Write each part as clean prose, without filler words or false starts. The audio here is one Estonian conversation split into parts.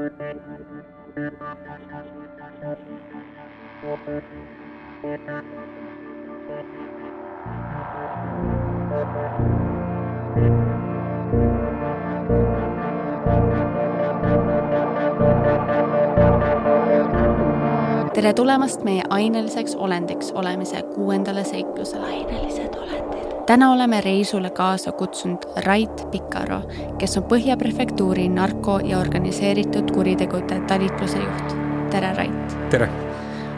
Tere tulemast meie aineliseks olendiks olemise 6. seiklusele. Ainelised olendid. Täna oleme reisule kaasa kutsunud Rait Pikaro, kes on Põhja prefektuuri narko- ja organiseeritud kuritegude talitluse juht. Tere, Rait! Tere!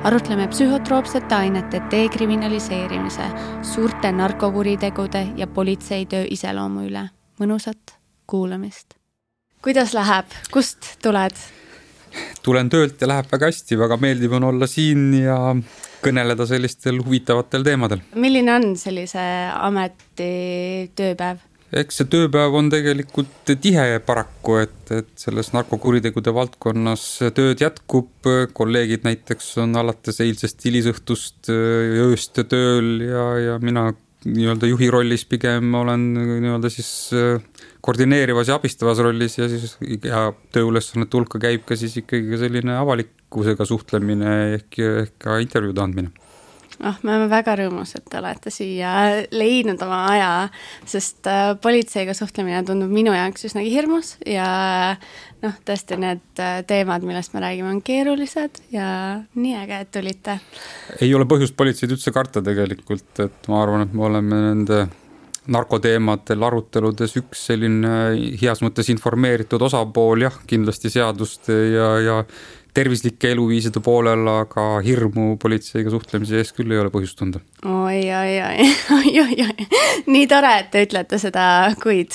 Arutleme psühhotroopsete ainete dekriminaliseerimise, suurte narkokuritegude ja politseitöö iseloomu üle. Mõnusat kuulamist! Kuidas läheb? Kust tuled? Tulen töölt ja läheb väga hästi, väga meeldib on olla siin ja kõneleda sellistel huvitavatel teemadel. Milline on sellise ameti tööpäev? Eks see tööpäev on tegelikult tihe paraku, et selles narkokuritegude valdkonnas tööd jätkub, kolleegid näiteks on alates eilsest hilisõhtust ööst tööl ja mina nii-öelda juhi rollis pigem olen nii-öelda siis koordineerivas ja abistavas rollis ja tööülesannete hulka käib ka siis ikkagi selline avalikkusega suhtlemine ehk ka intervjuude andmine. Me oleme väga rõõmus, et te olete siia leidnud oma aja, sest politseiga suhtlemine tundub minu jaoks üsnagi hirmus ja tõesti need teemad, millest me räägime, on keerulised ja nii äge, et tulite. Ei ole põhjust politseid üldse karta tegelikult, et ma arvan, et me oleme nende narkoteemadel aruteludes üks selline heas mõttes informeeritud osapool, jah, kindlasti seaduste ja tervislike eluviiside poolel, aga hirmu politseiga suhtlemise ees küll ei ole põhjust tunda. Oi. Nii tore, et te ütlete seda, kuid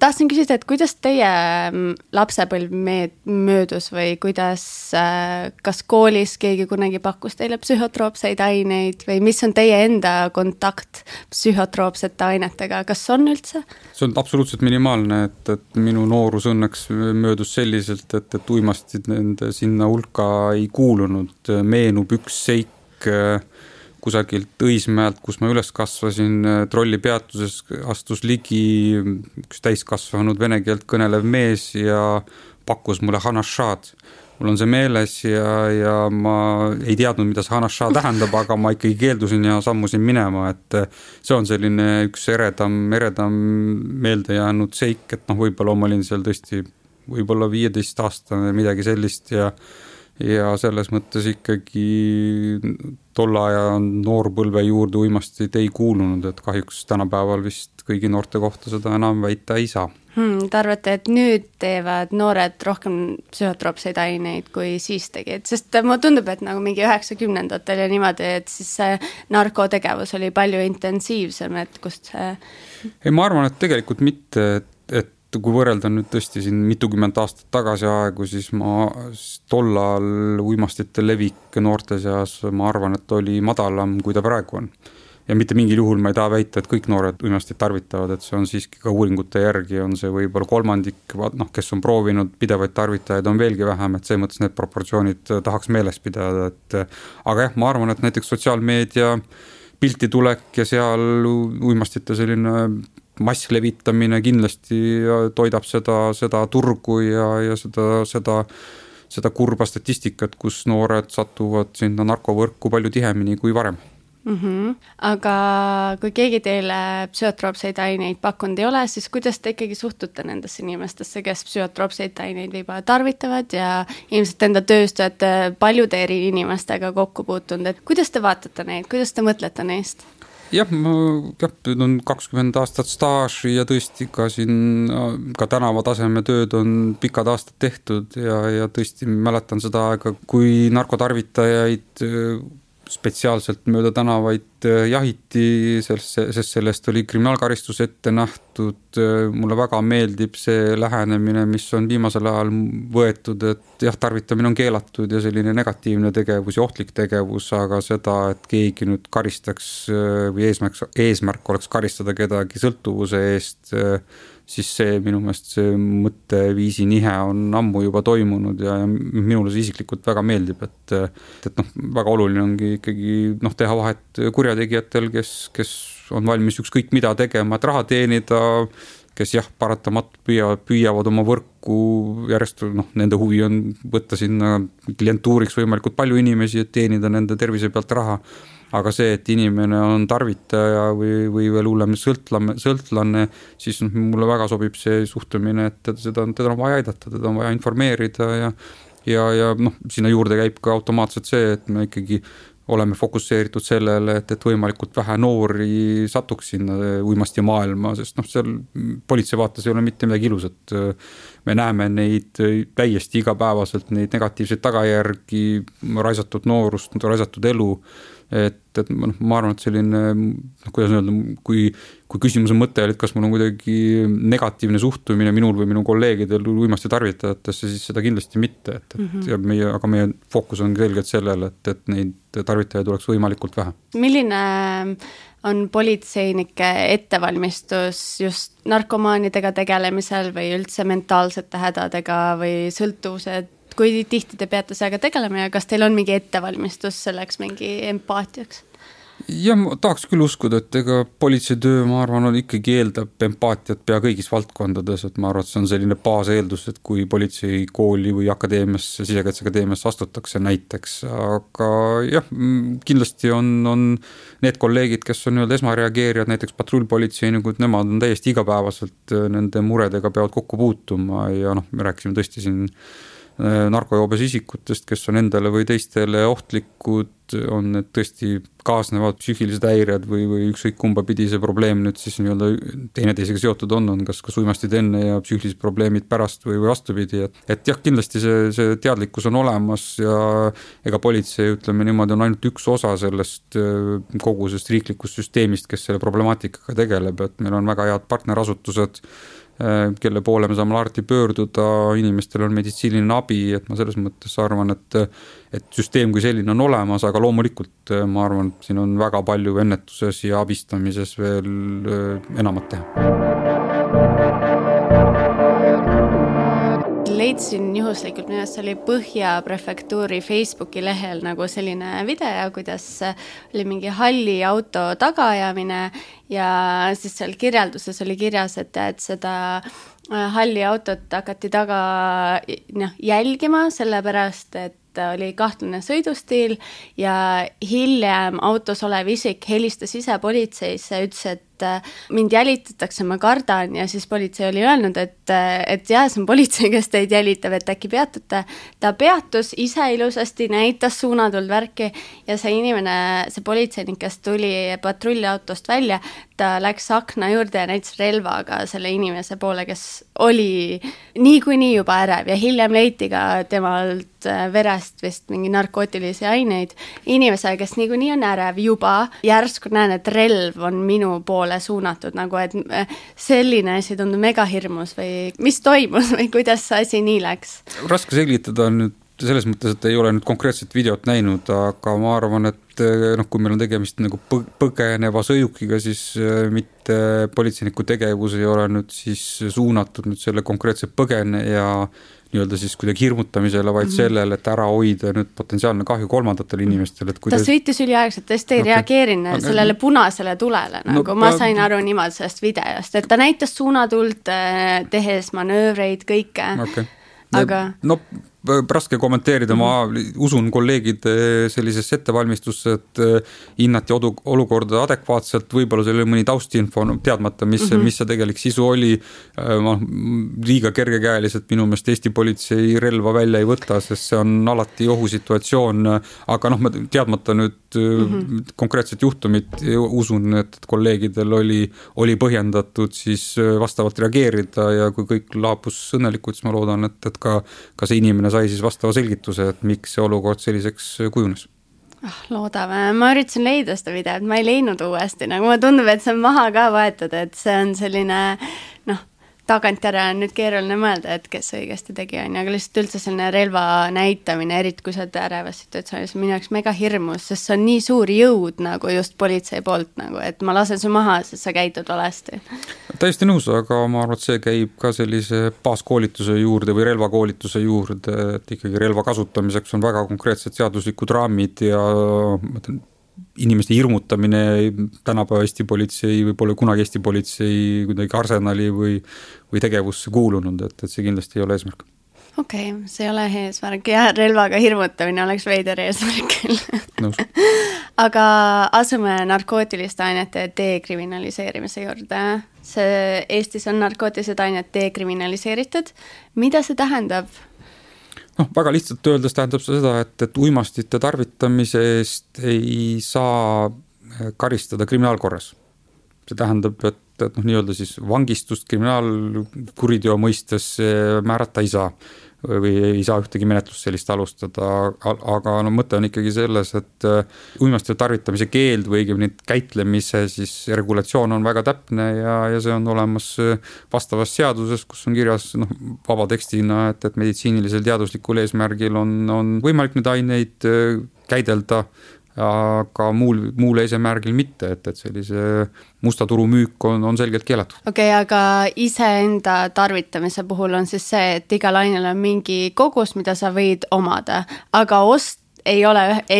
tahtsin küsida, et kuidas teie lapsepõlv möödus või kuidas, kas koolis keegi kunagi pakkus teile psühhotroopseid aineid või mis on teie enda kontakt psühhotroopsete ainetega, kas on üldse? See on absoluutselt minimaalne, et minu noorus õnneks möödus selliselt, et uimastid nende sinna hulka ei kuulunud. Meenub üks seik kusagilt Õismäelt, kus ma üles kasvasin, trolli peatuses astus ligi üks täiskasvanud vene keelt kõnelev mees ja pakkus mulle hanashad. Mul on see meeles ja ma ei teadnud, mida see hanashad tähendab, aga ma ikkagi keeldusin ja sammusin minema, et see on selline üks eredam meelde jäänud seik, et võib-olla ma olin seal tõesti võib-olla 15-aastane midagi sellist ja selles mõttes ikkagi tolle aja noorpõlve juurde uimastid ei kuulunud, et kahjuks tänapäeval vist kõigi noorte kohta seda enam väita ei saa. Te arvate, et nüüd teevad noored rohkem psühhotroopseid aineid kui siis tegid, sest mulle tundub, et nagu mingi 90-ndatel ja niimoodi, et siis see narkotegevus oli palju intensiivsem, et kust see... Ei, ma arvan, et tegelikult mitte, et kui võrrelda nüüd tõesti siin mitukümmend aastat tagasi aegu, siis ma tollal uimastite levik noorte seas, ma arvan, et oli madalam, kui ta praegu on. Ja mitte mingil juhul ma ei taha väita, et kõik noored uimastid tarvitavad, et see on siiski ka uuringute järgi, on see võib-olla kolmandik, kes on proovinud pidevaid tarvitajaid, on veelgi vähem, et see mõttes need proportsioonid tahaks meeles pidada, aga jah, ma arvan, et näiteks sotsiaalmeedia pilti tulek ja seal uimastite selline masslevitamine kindlasti toidab seda turgu ja seda kurba statistikat, kus noored satuvad sinna narkovõrku palju tihemini kui varem. Aga kui keegi teile psühhotroopseid aineid pakkunud ei ole, siis kuidas te ikkagi suhtute nendesse inimestesse, kes psühhotroopseid aineid võib-olla tarvitavad ja ilmselt enda tööst olete paljude eri inimestega kokku puutunud, et kuidas te vaatate neid, kuidas te mõtlete neist? Jah, nüüd on 20 aastat staaži ja tõesti ka siin ka tänavataseme tööd on pikad aastad tehtud ja tõesti mäletan seda aega, kui narkotarvitajaid spetsiaalselt mööda tänavaid jahiti, sest sellest oli kriminaalkaristus ette nähtud. Mulle väga meeldib see lähenemine, mis on viimasel ajal võetud, et jah, tarvitamine on keelatud ja selline negatiivne tegevus ja ohtlik tegevus, aga seda, et keegi nüüd karistaks või eesmärk oleks karistada kedagi sõltuvuse eest, siis see minu meelest see mõtteviisi nihe on ammu juba toimunud ja minule see isiklikult väga meeldib, et väga oluline ongi ikkagi teha vahet kurjategijatel, kes on valmis ükskõik mida tegema, et raha teenida, kes jah, paratamatult püüavad oma võrku järjest, nende huvi on võtta sinna klientuuriks võimalikult palju inimesi, et teenida nende tervise pealt raha. Aga see, et inimene on tarvitaja või veel hullem sõltlane, siis mulle väga sobib see suhtumine, et teda on vaja aidata, teda on vaja informeerida ja sinna juurde käib ka automaatselt see, et me ikkagi oleme fokusseeritud sellele, et võimalikult vähe noori satuks sinna uimasti maailma, sest seal politsei vaates ei ole mitte midagi ilusat. Me näeme neid täiesti igapäevaselt, neid negatiivseid tagajärgi, raisatud noorust, raisatud elu. Et ma arvan, et selline, kuidas öelda, kui küsimuse mõte oli, et kas mul on kuidagi negatiivne suhtumine minul või minu kolleegidel uimasti tarvitajatesse, siis seda kindlasti mitte. Aga meie fookus on selgelt sellele, et neid tarvitajaid oleks võimalikult vähe. Milline on politseinike ettevalmistus just narkomaanidega tegelemisel või üldse mentaalsete hädadega või sõltuvused? Kui tihti te peate sellega tegelema ja kas teil on mingi ettevalmistus selleks mingi empaatiaks? Ja ma tahaks küll uskuda, et ega politseitöö, ma arvan, ikkagi eeldab empaatiat pea kõigis valdkondades, et ma arvan, et see on selline baaseeldus, et kui politseikooli või akadeemiasse, Sisekaitseakadeemiasse astutakse näiteks, aga jah, kindlasti on need kolleegid, kes on esmareageerijad, näiteks patrullpolitseinikud, nemad on täiesti igapäevaselt nende muredega peavad kokku puutuma ja me rääkisime tõesti siin narkojoobes isikutest, kes on endale või teistele ohtlikud, on need tõesti kaasnevad psüühilised häired või ükskõik kumba pidi see probleem nüüd siis teineteisega seotud on kas uimastid enne ja psüühilised probleemid pärast või vastupidi, et jah, kindlasti see teadlikkus on olemas ja ega politsei, ütleme niimoodi, on ainult üks osa sellest kogu sellest riiklikust süsteemist, kes selle problemaatikaga tegeleb, et meil on väga head partnerasutused, kelle poole me saame alati pöörduda, inimestel on meditsiiniline abi, et ma selles mõttes arvan, et süsteem kui selline on olemas, aga loomulikult ma arvan, et siin on väga palju ennetuses ja abistamises veel enamat teha. Leidsin juhuslikult, millest oli Põhja prefektuuri Facebooki lehel nagu selline video, kuidas oli mingi halli auto tagaajamine ja siis seal kirjelduses oli kirjas, et seda halli autot hakati taga jälgima, sellepärast et oli kahtlane sõidustiil ja hiljem autos olev isik helistas ise politseisse, ütles, et mind jälitatakse, ma kardan ja siis politsei oli öelnud, et jah, see on politsei, kes teid jälitab, et äkki peatute. Ta peatus ise ilusasti, näitas suunatuld värki ja see inimene, see politseinik, kes tuli patrulliautost välja, ta läks akna juurde ja näitas relvaga selle inimese poole, kes oli niikuinii juba ärev ja hiljem leiti ka temalt verest vist mingi narkootilisi aineid. Inimese, kes niikuinii on ärev juba, järsku näen, et relv on minu poole suunatud, nagu et selline asi tundub mega hirmus või mis toimus või kuidas see asi nii läks? Raske selgitada nüüd selles mõttes, et ei ole nüüd konkreetset videot näinud, aga ma arvan, et kui meil on tegemist nagu põgeneva sõidukiga, siis mitte politseiniku tegevus ei ole nüüd siis suunatud nüüd selle konkreetse põgeneja nii-öelda siis kuidagi hirmutamisele, vaid sellele, et ära hoida nüüd potentsiaalne kahju kolmandatele inimestele. Ta sõitis üliaegselt, tõesti ei reageerinud sellele punasele tulele, nagu ma sain aru niimoodi sellest videost, et ta näitas suunatult, tehes manöövreid, kõike. Aga raske kommenteerida, ma usun kolleegide sellisesse ettevalmistusse, et hinnati olukorda adekvaatselt, võib-olla see oli mõni taustinfo teadmata, mis see tegelik sisu oli, liiga kergekäeliselt minu meelest Eesti politsei relva välja ei võta, sest see on alati ohusituatsioon, aga teadmata nüüd konkreetset juhtumit, usun, et kolleegidel oli põhjendatud siis vastavalt reageerida ja kui kõik laabus õnnelikult, siis ma loodan, et ka see inimene sai siis vastava selgituse, et miks see olukord selliseks kujunes. Loodame. Ma üritasin leida seda videot, ma ei leidnud uuesti, nagu ma tundub, et see on maha ka võetud, et see on selline, tagantjärele on nüüd keeruline mõelda, et kes õigesti tegi, aga lihtsalt üldse selline relva näitamine, eriti kui sa oled ärevas situatsioonis, minu jaoks mega hirmus, sest see on nii suur jõud nagu just politsei poolt, nagu, et ma lasen su maha, sest sa käitud valesti. Täiesti nõus, aga ma arvan, et see käib ka sellise baaskoolituse juurde või relvakoolituse juurde, et ikkagi relva kasutamiseks on väga konkreetsed seaduslikud raamid ja inimeste hirmutamine tänapäeva Eesti politsei või pole kunagi Eesti politsei kuidagi arsenali või tegevusse kuulunud, et see kindlasti ei ole eesmärk. Okei, see ei ole eesmärk ja relvaga hirmutamine oleks veider eesmärk küll. Aga asume narkootiliste ainete dekriminaliseerimise juurde. Eestis on narkootilised ained dekriminaliseeritud. Mida see tähendab? Väga lihtsalt öeldes tähendab seda, et uimastite tarvitamise eest ei saa karistada kriminaalkorras. See tähendab, et nii-öelda siis vangistust kriminaalkuriteo mõistes määrata ei saa või ei saa ühtegi menetlust sellist alustada, aga mõte on ikkagi selles, et uimastite tarvitamise keeld või õigemini käitlemise siis regulatsioon on väga täpne ja see on olemas vastavas seaduses, kus on kirjas vaba tekstina, et meditsiinilisel teaduslikul eesmärgil on võimalik neid aineid käidelda, aga muul eesmärgil mitte, et sellise musta turu müük on selgelt keelatud. Okei, aga iseenda tarvitamise puhul on siis see, et igal ainel on mingi kogus, mida sa võid omada, aga ei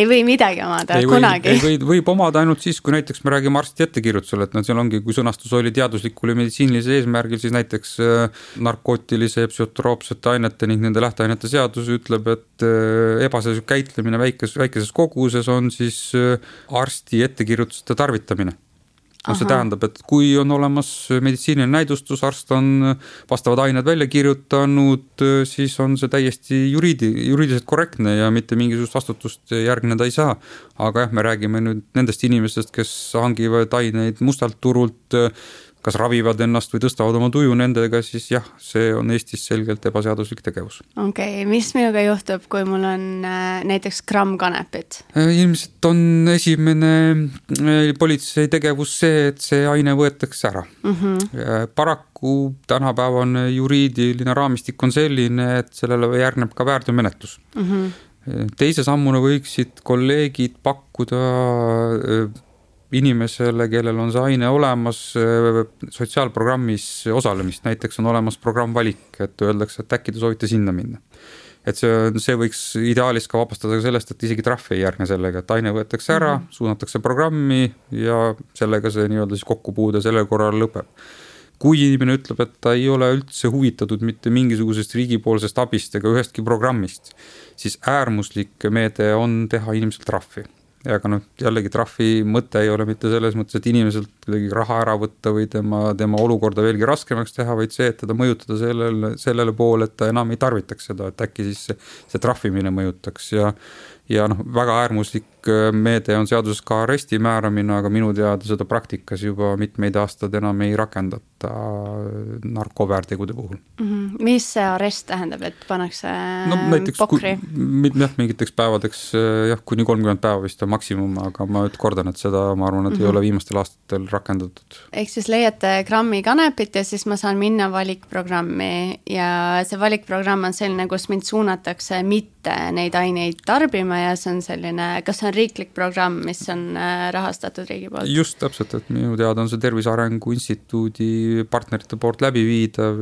või midagi omada kunagi. Võib omada ainult siis, kui näiteks me räägime arsti ettekirjutusel, et seal ongi, kui sõnastus oli teaduslikul ja meditsiinilisel eesmärgil, siis näiteks narkootilise ja psühhotroopsete ainete ning nende lähteainete seadus ütleb, et ebaseaduslik käitlemine väikeses koguses on siis arsti ettekirjutuste tarvitamine. See tähendab, et kui on olemas meditsiiniline näidustus, arst on vastavad ained välja kirjutanud, siis on see täiesti juriidiliselt korrektne ja mitte mingisugust vastutust järgneda ei saa. Aga me räägime nüüd nendest inimestest, kes hangivad aineid mustalt turult, kas ravivad ennast või tõstavad oma tuju nendega, siis jah, see on Eestis selgelt ebaseaduslik tegevus. Okei, mis minuga juhtub, kui mul on näiteks gramm kanepit? Ilmselt on esimene politsei tegevus see, et see aine võetakse ära. Paraku tänapäevane juriidiline raamistik on selline, et sellele järgneb ka väärteomenetlus. Teise sammuna võiksid kolleegid pakkuda inimesele, kellel on see aine olemas, sotsiaalprogrammis osalemist, näiteks on olemas programm Valik, et öeldakse, et äkki te soovite sinna minna. Et see võiks ideaalis ka vabastada sellest, et isegi trahv ei järgne sellega, et aine võetakse ära, suunatakse programmi ja sellega see nii-öelda siis kokkupuude sellel korral lõpeb. Kui inimene ütleb, et ta ei ole üldse huvitatud mitte mingisugusest riigipoolsest abist ega ühestki programmist, siis äärmuslik meede on teha inimeselt trahvi. Aga jällegi trahvi mõte ei ole mitte selles mõttes, et inimeselt kuidagi raha ära võtta või tema olukorda veelgi raskemaks teha, vaid see, et teda mõjutada sellele poole, et ta enam ei tarvitaks seda, et äkki siis see trahvimine mõjutaks ja väga äärmuslik meede on seaduses ka aresti määramine, aga minu teada seda praktikas juba mitmeid aastad enam ei rakendata narkoväärtegude puhul. Mis see arest tähendab, et pannakse pokri? Mingiteks päevadeks, kuni 30 päeva vist on maksimum, aga ma kordan, et seda ma arvan, et ei ole viimastel aastatel rakendatud. Ehk siis leiate grammi kanepit ja siis ma saan minna valikprogrammi ja see valikprogramm on selline, kus mind suunatakse mitte neid aineid tarbima ja see on selline, kas see on riiklik programm, mis on rahastatud riigi poolt? Just täpselt, et minu teada on see Tervise Arengu Instituudi partnerite poolt läbiviidav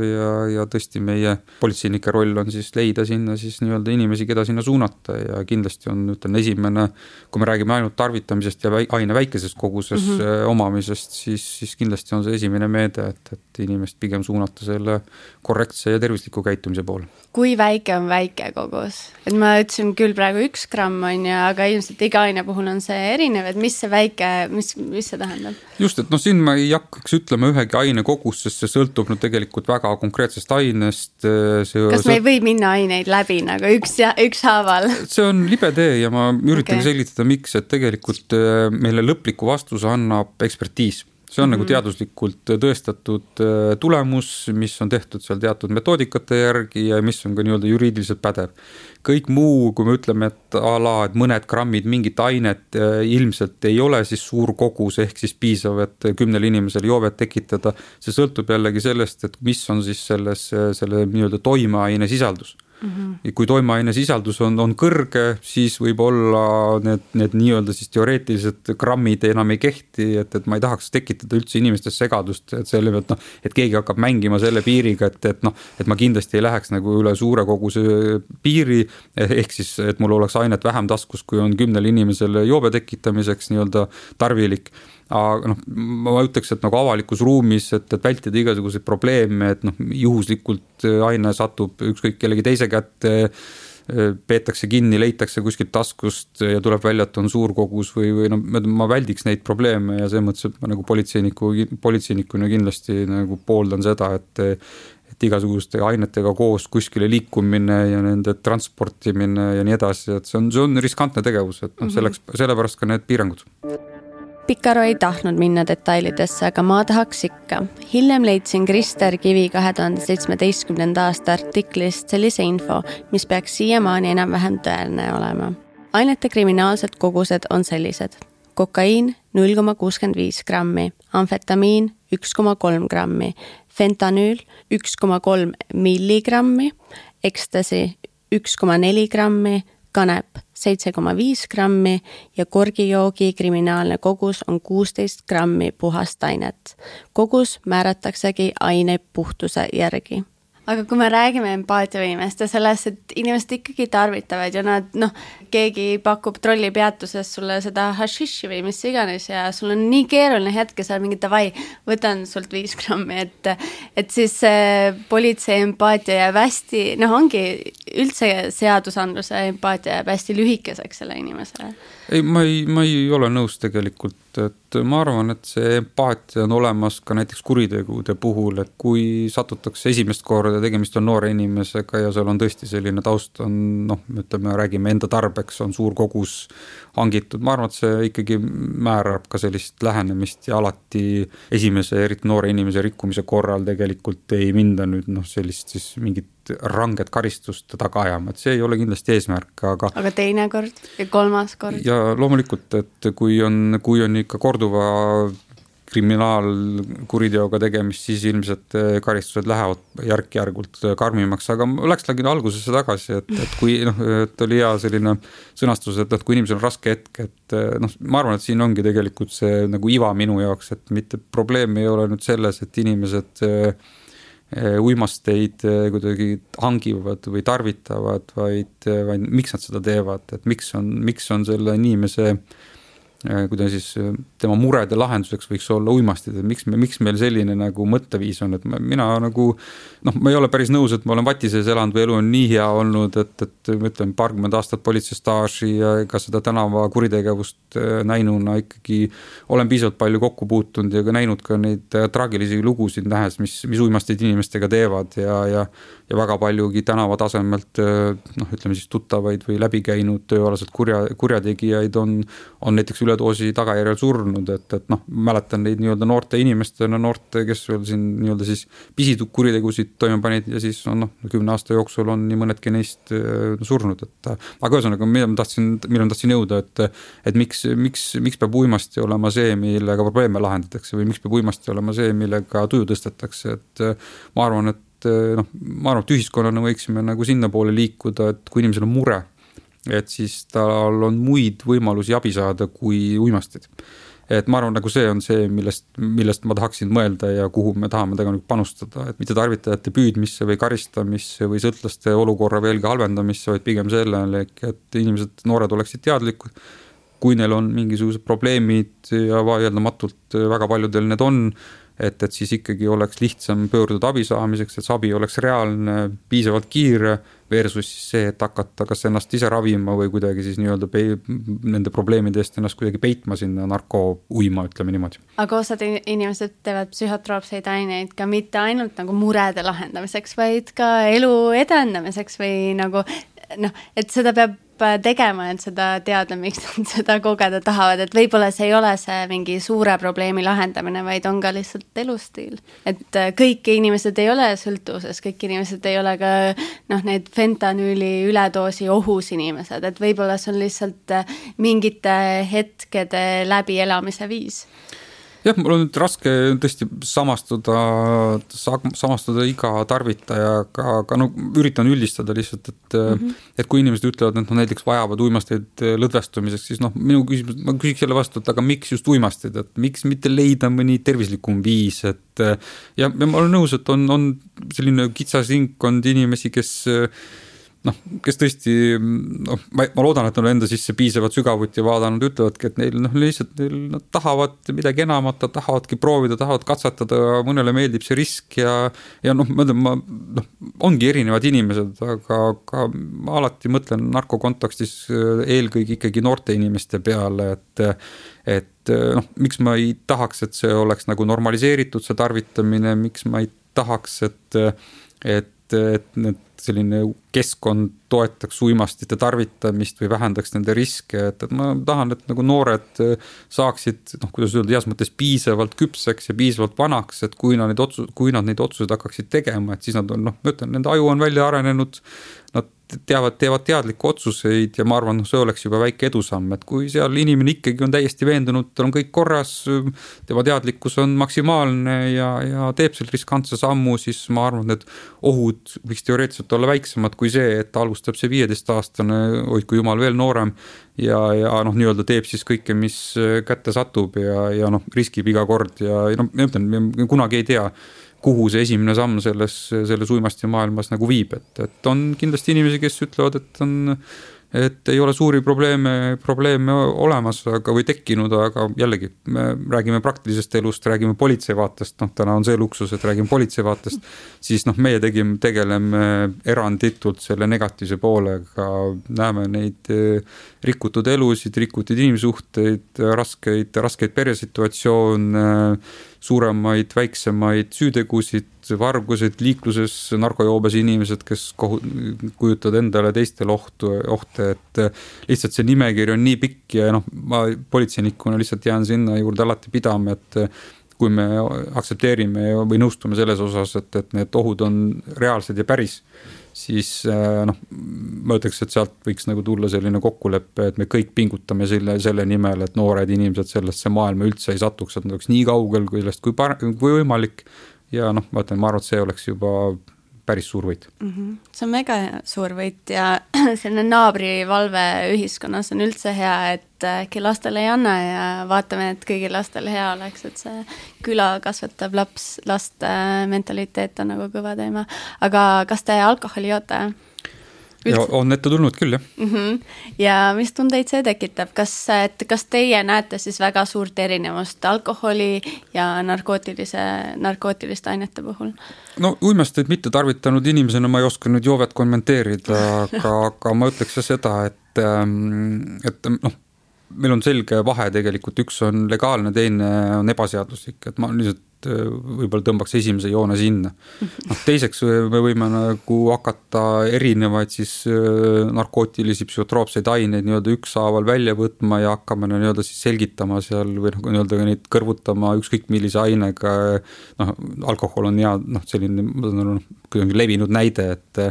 ja tõesti meie politseinike roll on siis leida sinna siis nii-öelda inimesi, keda sinna suunata ja kindlasti on esimene, kui me räägime ainult tarvitamisest ja aine väikeses koguses omamisest, siis kindlasti on see esimene meede, et inimest pigem suunata selle korrektse ja tervisliku käitumise poole. Kui väike on väike kogus? Et ma ütlesin küll praegu 1 gramm on ja aga ilmselt iga aine puhul on see erinev, et mis see väike, mis see tähendab? Just, et siin ma ei hakkaks ütlema ühegi aine kogus, sest see sõltub tegelikult väga konkreetsest ainest. Kas me ei või minna aineid läbi nagu ükshaaval? See on libe tee ja ma üritan selgitada, miks, et tegelikult meile lõpliku vastuse annab ekspertiis. See on nagu teaduslikult tõestatud tulemus, mis on tehtud seal teatud metoodikate järgi ja mis on ka nii-öelda juriidiliselt pädev. Kõik muu, kui me ütleme, et mõned grammid mingit ainet ilmselt ei ole siis suur kogus ehk siis piisav, et 10 inimesel joovet tekitada, see sõltub jällegi sellest, et mis on siis selle nii-öelda toimeaine sisaldus. Ja kui toimeaine sisaldus on kõrge, siis võib olla need nii-öelda siis teoreetilised grammid enam ei kehti, et ma ei tahaks tekitada üldse inimestes segadust, et selle pealt, et keegi hakkab mängima selle piiriga, et ma kindlasti ei läheks nagu üle suure koguse piiri, ehk siis, et mul oleks ainet vähem taskus, kui on 10 inimesele joobe tekitamiseks nii-öelda tarvilik. Aga ma ütleks, et nagu avalikus ruumis, et vältida igasuguseid probleeme, et juhuslikult aine satub ükskõik kellegi teise kätte, peetakse kinni, leitakse kuskilt taskust ja tuleb välja, et on suur kogus või ma väldiks neid probleeme ja see mõttes, et ma nagu politseinikuna kindlasti nagu pooldan seda, et igasuguste ainetega koos kuskile liikumine ja nende transportimine ja nii edasi, et see on riskantne tegevus, et sellepärast ka need piirangud. Pikaro ei tahtnud minna detailidesse, aga ma tahaks ikka. Hiljem leidsin Krister Kivi 2017. aasta artiklist sellise info, mis peaks siiamaani enam-vähem tõeline olema. Ainete kriminaalsed kogused on sellised. Kokaiin 0,65 grammi, amfetamiin 1,3 grammi, fentanüül 1,3 milligrammi, ekstasi 1,4 grammi, kanep 7,5 grammi ja korgijoogi kriminaalne kogus on 16 grammi puhast ainet. Kogus määrataksegi aine puhtuse järgi. Aga kui me räägime empaatiavõimest ja sellest, et inimesed ikkagi tarvitavad ja nad, keegi pakub trollipeatuses sulle seda hašiši või mis iganes ja sul on nii keeruline hetke seal mingi davai, võtan sult 5 grammi, et siis politsei empaatia jääb hästi, ongi üldse seadusandluse empaatia jääb hästi lühikeseks selle inimesele. Ei, ma ei ole nõus tegelikult, et ma arvan, et see empaatia on olemas ka näiteks kuritegude puhul, et kui satutakse esimest korda, tegemist on noore inimesega ja seal on tõesti selline taust on, räägime enda tarbeks, on suur kogus hangitud. Ma arvan, et see ikkagi määrab ka sellist lähenemist ja alati esimese eriti noore inimese rikkumise korral tegelikult ei minda nüüd sellist siis mingit ranget karistust taga ajama, et see ei ole kindlasti eesmärk, aga teine kord ja kolmas kord? Ja loomulikult, et kui on ikka korduva kriminaalkuriteoga tegemist, siis ilmselt karistused lähevad järk-järgult karmimaks, aga läkslegi algusesse tagasi, et kui et oli hea selline sõnastus, et kui inimesel on raske hetk, et ma arvan, et siin ongi tegelikult see nagu iva minu jaoks, et mitte probleem ei ole nüüd selles, et inimesed uimasteid kuidagi hangivad või tarvitavad, vaid miks nad seda teevad, et miks on selle inimese kuidas siis tema murede lahenduseks võiks olla uimastid, et miks meil selline nagu mõtteviis on, et mina nagu, ma ei ole päris nõus, et ma olen vatises elanud või elu on nii hea olnud, et ma ütlen paarkümmend aastat politseistaaži ja ka seda tänava kuritegevust näinuna ikkagi olen piisavalt palju kokku puutunud ja ka näinud ka neid traagilisi lugusid nähes, mis uimastid inimestega teevad ja väga paljugi tänava tasemelt ütleme siis tuttavaid või läbi käinud tööalaselt kurjategijaid on näiteks üledoosi tagajärjel surnud, et mäletan neid nii-öelda noorte inimestena, kes veel siin nii-öelda siis pisikuritegusid toime panid ja siis 10 aasta jooksul on nii mõnedki neist surnud, aga ühesõnaga, millal ma tahtsin jõuda, et miks peab uimasti olema see, millega probleeme lahendatakse või miks peab uimasti olema see, millega tuju tõstetakse, et ma arvan, et ühiskonnana võiksime nagu sinna poole liikuda, et kui inimesel on mure, et siis tal on muid võimalusi abi saada kui uimastid. Et ma arvan, nagu see on see, millest ma tahaksin mõelda ja kuhu me tahame tegelikult panustada, et mitte tarvitajate püüdmisse või karistamisse või sõltlaste olukorra veelgi halvendamisse, vaid pigem sellele, et inimesed, noored oleksid teadlikud, kui neil on mingisugused probleemid ja vaieldamatult väga paljudel need on, et siis ikkagi oleks lihtsam pöörduda abi saamiseks, et see abi oleks reaalne, piisavalt kiire versus see, et hakata kas ennast ise ravima või kuidagi siis nii-öelda nende probleemide eest ennast kuidagi peitma sinna narkouima, ütleme niimoodi. Aga osad inimesed teevad psühhotroopseid aineid ka mitte ainult nagu murede lahendamiseks, vaid ka elu edendamiseks või nagu et seda peab tegema, et seda teada, miks nad seda kogeda tahavad, et võib-olla see ei ole see mingi suure probleemi lahendamine, vaid on ka lihtsalt elustiil. Et kõik inimesed ei ole sõltuvuses, kõik inimesed ei ole ka need fentanüüli üledoosi ohus inimesed, et võib-olla see on lihtsalt mingite hetkede läbi elamise viis. jah, mul on nüüd raske tõesti samastuda iga tarvitajaga, aga no üritan üldistada lihtsalt, et kui inimesed ütlevad, et näiteks vajavad uimasteid lõdvestumiseks, siis ma küsiks jälle vastu, et aga miks just uimastid, et miks mitte leida mõni tervislikum viis, et ja ma olen nõus, et on selline kitsas ringkond inimesi, kes tõesti, ma loodan, et nad enda sisse piisavalt sügavuti vaadanud, ütlevadki, et neil lihtsalt nad tahavad midagi enamat, nad tahavadki proovida, tahavad katsetada, mõnele meeldib see risk ja ongi erinevad inimesed, aga ma alati mõtlen narkokontekstis eelkõige ikkagi noorte inimeste peale, et miks ma ei tahaks, et see oleks nagu normaliseeritud, see tarvitamine, miks ma ei tahaks, et selline keskkond toetaks uimastite tarvitamist või vähendaks nende riske, et ma tahan, et nagu noored saaksid, kuidas öelda, heas mõttes piisavalt küpseks ja piisavalt vanaks, et kui nad neid otsuseid hakkaksid tegema, et siis nad on, ma ütlen, nende aju on välja arenenud, nad teevad teadlikke otsuseid ja ma arvan, see oleks juba väike edusamm, et kui seal inimene ikkagi on täiesti veendunud, tal on kõik korras, tema teadlikkus on maksimaalne ja teeb selle riskantse sammu, siis ma arvan, et ohud võiks teoreetiliselt olla väiksemad kui see, et alustab see 15-aastane, hoidku jumal veel noorem ja nii-öelda teeb siis kõike, mis kätte satub ja riskib iga kord ja ma ütlen, kunagi ei tea, kuhu see esimene samm selles uimasti maailmas nagu viib, et on kindlasti inimesi, kes ütlevad, et ei ole suuri probleeme olemas või tekkinud, aga jällegi me räägime praktilisest elust, räägime politsei vaatest, täna on see luksus, et räägime politsei vaatest, siis meie tegeleme eranditult selle negatiivse poolega, näeme neid rikutud elusid, rikutud inimsuhteid, raskeid peresituatsioone, suuremaid, väiksemaid süütegusid, vargused, liikluses narkojoobes inimesed, kes kujutavad endale teistele ohte, et lihtsalt see nimekiri on nii pikk ja ma politseinikuna lihtsalt jään sinna juurde alati pidama, et kui me aktsepteerime või nõustume selles osas, et need ohud on reaalsed ja päris, siis ma ütleks, et sealt võiks nagu tulla selline kokkulepe, et me kõik pingutame selle nimel, et noored inimesed sellesse maailma üldse ei satuks, et nad oleks nii kaugel kui võimalik ja ma arvan, et see oleks juba päris suur võit. See on mega suur võit ja selline naabrivalve ühiskonnas on üldse hea, et äkki lastele ei anna ja vaatame, et kõigil lastel hea oleks, et see küla kasvatab laste mentaliteet on nagu kõva teema. Aga kas te alkoholi joote? Ja on ette tulnud küll, jah. Ja mis tundeid see tekitab? Kas teie näete siis väga suurt erinevust alkoholi ja narkootiliste ainete puhul? Uimasteid mitte tarvitanud inimesena ma ei oska nüüd joovet kommenteerida, aga ma ütleks seda, et meil on selge vahe tegelikult, üks on legaalne, teine on ebaseaduslik, et ma lihtsalt võib-olla tõmbaks esimese joone sinna. Teiseks me võime nagu hakata erinevaid siis narkootilisi psühhotroopseid aineid nii-öelda ükshaaval välja võtma ja hakkame nii-öelda siis selgitama seal või nii-öelda neid kõrvutama ükskõik millise ainega. Alkohol on hea selline levinud näide, et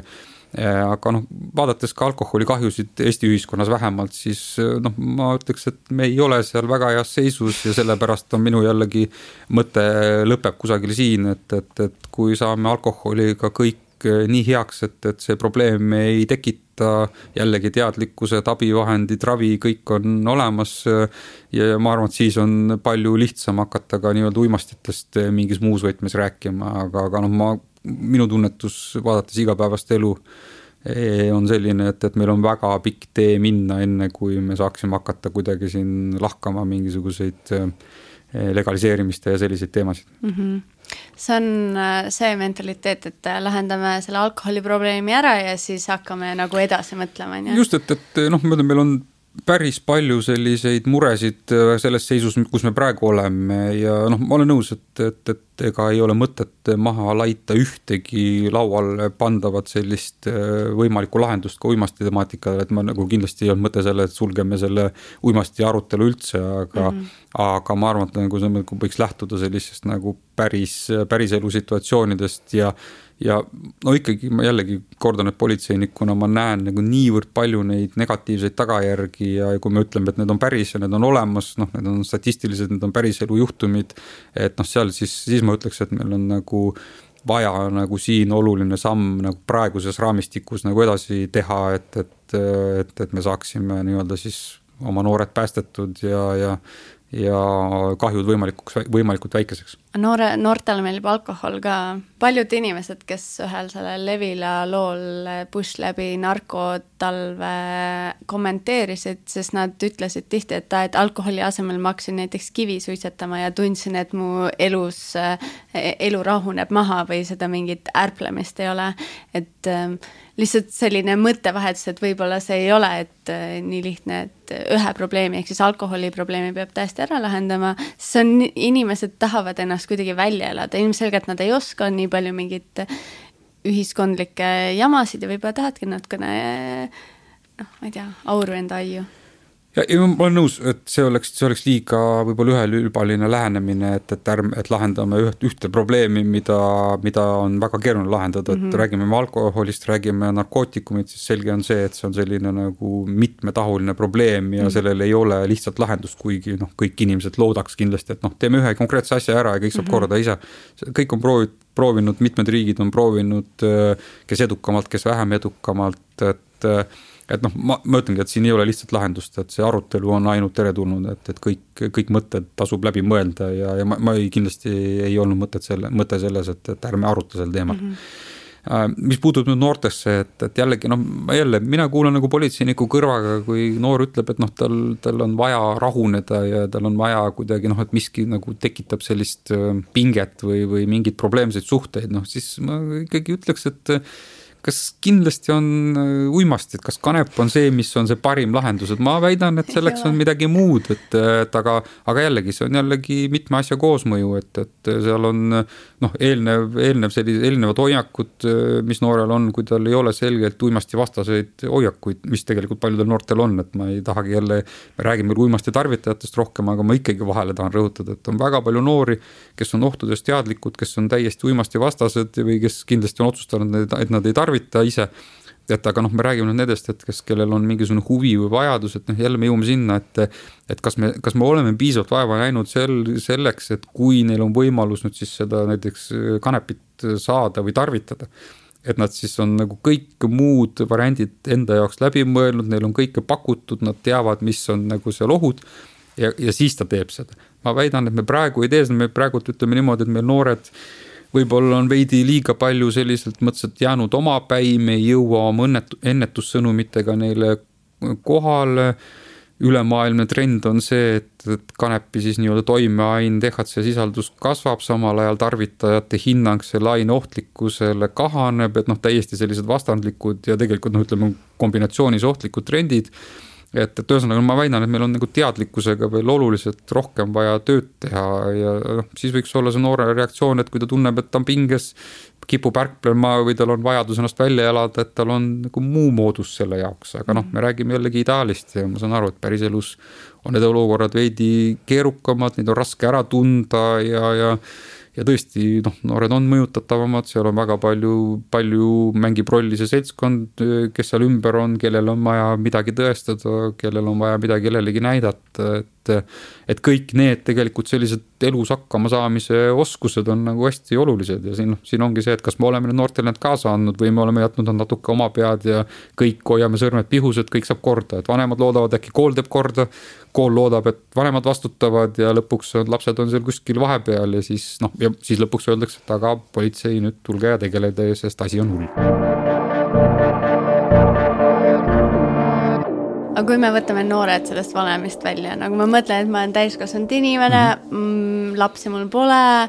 aga vaadates ka alkoholi kahjusid Eesti ühiskonnas vähemalt, siis ma ütleks, et me ei ole seal väga heas seisus ja sellepärast on minu jällegi mõte lõpeb kusagil siin, et kui saame alkoholiga kõik nii heaks, et see probleem ei tekita, jällegi teadlikkused, abivahendid, ravi, kõik on olemas ja ma arvan, et siis on palju lihtsam hakata ka nii-öelda uimastitest mingis muus võtmes rääkima, aga minu tunnetus vaadates igapäevast elu on selline, et meil on väga pikk tee minna, enne kui me saaksime hakata kuidagi siin lahkama mingisuguseid legaliseerimiste ja selliseid teemasid. See on see mentaliteet, et lahendame selle alkoholiprobleemi ära ja siis hakkame nagu edasi mõtlema. Just, et meil on päris palju selliseid muresid selles seisus, kus me praegu oleme ja ma olen nõus, et ega ei ole mõtet maha laita ühtegi laual pandavat sellist võimalikku lahendust ka uimasti temaatikale, et ma nagu kindlasti ei olnud mõte selle, et sulgeme selle uimasti arutelu üldse, aga ma arvan, et nagu see võiks lähtuda sellisest nagu päris elu situatsioonidest ja ja no ikkagi ma jällegi kordan, et politseinikuna ma näen nagu niivõrd palju neid negatiivseid tagajärgi ja kui me ütleme, et need on päris ja need on olemas, noh, need on statistilised, need on päris elu juhtumid, et noh, seal siis ma ütleks, et meil on nagu vaja nagu siin oluline samm nagu praeguses raamistikus nagu edasi teha, et me saaksime nii-öelda siis oma noored päästetud ja kahjud võimalikult väikeseks. Noortele meeldib alkohol ka. Paljud inimesed, kes ühel sellel Levila lool Push läbi narkotalve kommenteerisid, sest nad ütlesid tihti, et alkoholi asemel ma hakkasin näiteks kivi suitsetama ja tundsin, et mu elu rahuneb maha või seda mingit ärplemist ei ole. Et lihtsalt selline mõttevahetus, et võib-olla see ei ole, et nii lihtne, et ühe probleemi, ehk siis alkoholi probleemi peab täiesti ära lahendama. See on, inimesed tahavad ennast kuidagi välja elada. Ilmselgelt nad ei oska nii palju mingit ühiskondlikke jamasid ja võib-olla tahadki natukene, ma ei tea, auru enda aiu. Ja ma olen nõus, et see oleks liiga võib-olla ühelülbaline lähenemine, et lahendame ühte probleemi, mida on väga keeruline lahendada, et räägime alkoholist, räägime narkootikumid, siis selge on see, et see on selline nagu mitmetahuline probleem ja sellel ei ole lihtsalt lahendust, kuigi kõik inimesed loodaks kindlasti, et teeme ühe konkreetse asja ära ja kõik saab korda ise. Kõik on proovinud, mitmed riigid on proovinud, kes edukamalt, kes vähem edukamalt, et ma ütlengi, et siin ei ole lihtsalt lahendust, et see arutelu on ainult teretulnud, et kõik mõtted tasub läbi mõelda ja ma kindlasti ei olnud mõte selles, et ärme aruta sel teemal. Mis puutub nüüd noortesse, et jällegi, mina kuulan nagu politseiniku kõrvaga, kui noor ütleb, et tal on vaja rahuneda ja tal on vaja kuidagi, et miski nagu tekitab sellist pinget või mingid probleemseid suhteid, siis ma ikkagi ütleks, et kas kindlasti on uimastid, kas kanep on see, mis on see parim lahendus, et ma väidan, et selleks on midagi muud, aga jällegi, see on jällegi mitme asja koosmõju, et seal on eelnevad hoiakud, mis noorel on, kui tal ei ole selgelt uimasti vastaseid hoiakuid, mis tegelikult paljudel noortel on, et ma ei tahagi jälle, me räägime uimasti tarvitajatest rohkem, aga ma ikkagi vahele tahan rõhutada, et on väga palju noori, kes on ohtudest teadlikud, kes on täiesti uimasti vastased või kes kindlasti on otsustanud, et nad ei tarvita ise, aga me räägime nendest, et kellel on mingisugune huvi või vajadus, et jälle me jõuame sinna, et kas me oleme piisavalt vaeva näinud selleks, et kui neil on võimalus nüüd siis seda näiteks kanepit saada või tarvitada, et nad siis on nagu kõik muud variandid enda jaoks läbi mõelnud, neil on kõike pakutud, nad teavad, mis on nagu seal ohud ja siis ta teeb seda. Ma väidan, et me praegu ei tee seda, me praegu ütleme niimoodi, et meil noored võib-olla on veidi liiga palju selliselt mõtleselt jäänud omapäi, me ei jõua oma ennetussõnumitega neile kohale. Ülemaailmne trend on see, et kanepi siis nii-öelda toimeain THC sisaldus kasvab, samal ajal tarvitajate hinnang selle aine ohtlikkusele kahaneb, et täiesti sellised vastandlikud ja tegelikult ütleme kombinatsioonis ohtlikud trendid. Et ühesõnaga ma väidan, et meil on nagu teadlikkusega veel oluliselt rohkem vaja tööd teha ja siis võiks olla see noore reaktsioon, et kui ta tunneb, et ta on pinges, kipub ärplema või tal on vajadus ennast välja elada, et tal on nagu muu moodus selle jaoks, aga me räägime jällegi ideaalist ja ma saan aru, et päris elus on need olukorrad veidi keerukamad, neid on raske ära tunda ja tõesti, noored on mõjutatavamad, seal on väga palju mängib rolli see seltskond, kes seal ümber on, kellel on vaja midagi tõestada, kellel on vaja midagi kellelegi näidata, et kõik need tegelikult sellised elus hakkama saamise oskused on nagu hästi olulised ja siin ongi see, et kas me oleme noortel need kaasa andnud või me oleme jätnud natuke oma pead ja kõik hoiame sõrmed pihus, et kõik saab korda, et vanemad loodavad, äkki kool teeb korda, kool loodab, et vanemad vastutavad ja lõpuks lapsed on seal kuskil vahepeal ja siis lõpuks öeldakse, et aga politsei nüüd tulge ja tegeleda, sest asi on hull. Aga kui me võtame noored sellest vanemist välja, nagu ma mõtlen, et ma olen täiskasvanud inimene, lapsi mul pole,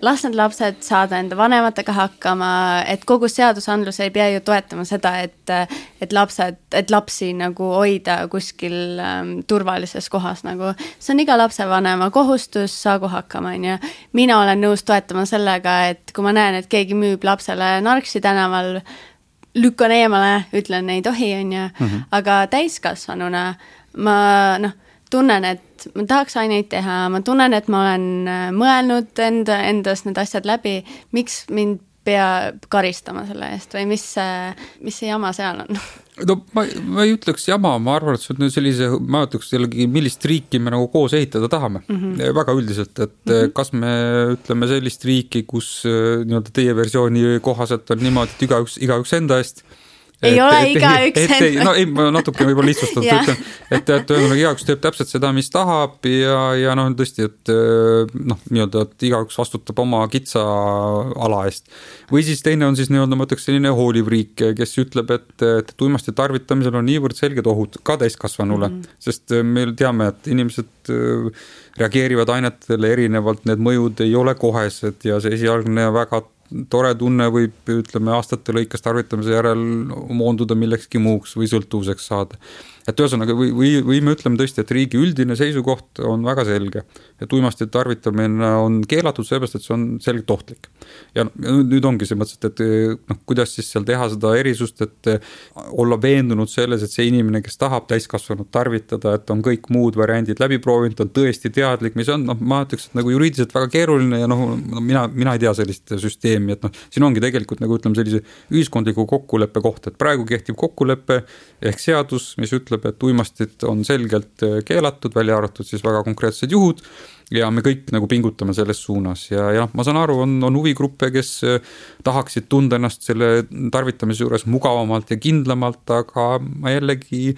las need lapsed saada enda vanematega hakkama, et kogu seadusandlus ei pea ju toetama seda, et lapsi nagu hoida kuskil turvalises kohas. Nagu. See on iga lapsevanema kohustus, saagu hakkama. Ja. Mina olen nõus toetama sellega, et kui ma näen, et keegi müüb lapsele narksi tänaval, lükkan eemale, ütlen, ei tohi, aga täiskasvanuna ma tunnen, et ma tahaks aineid teha, ma tunnen, et ma olen mõelnud endas need asjad läbi, miks mind pea karistama selle eest või mis see jama seal on? No ma ei ütleks jama, ma arvan, et see on sellise, ma ütleks jällegi, millist riiki me nagu koos ehitada tahame. Väga üldiselt, et kas me ütleme sellist riiki, kus nii-öelda teie versiooni kohaselt on niimoodi, et igaüks enda eest. Ei ole igaüks enda. No ei, ma natuke võib-olla lihtsustatud ütlen, et igaüks teeb täpselt seda, mis tahab ja noh, tõesti, et noh, nii-öelda, et igaüks vastutab oma kitsa ala eest. Või siis teine on siis nii-öelda, ma ütleks selline hooliv riik, kes ütleb, et uimasti tarvitamisel on niivõrd selged ohud ka täiskasvanule, sest me teame, et inimesed reageerivad ainetele erinevalt, need mõjud ei ole kohesed ja see esialgne väga tore tunne võib, ütleme, aastate lõikes tarvitamise järel moonduda millekski muuks või sõltuvuseks saada. Et ühesõnaga, või me ütleme tõesti, et riigi üldine seisukoht on väga selge, et uimasti tarvitamine on keelatud sellepärast, et see on selgelt ohtlik. Ja nüüd ongi see mõttes, et noh, kuidas siis seal teha seda erisust, et olla veendunud selles, et see inimene, kes tahab täiskasvanud tarvitada, et on kõik muud variandid läbi proovinud, on tõesti teadlik, mis on, noh, ma ütleks, et nagu juriidiliselt väga keeruline ja noh, mina ei tea sellist süsteemi, et noh, siin ongi tegelikult nagu ütleme sellise ühiskondliku kokkuleppe koht, et praegu kehtiv kokkulepe ehk seadus, mis ütleb, et uimastit on selgelt keelatud, välja arvatud siis väga konkreetsed juhud ja me kõik nagu pingutame selles suunas ja ma saan aru, on huvigruppe, kes tahaksid tunda ennast selle tarvitamise juures mugavamalt ja kindlamalt, aga ma jällegi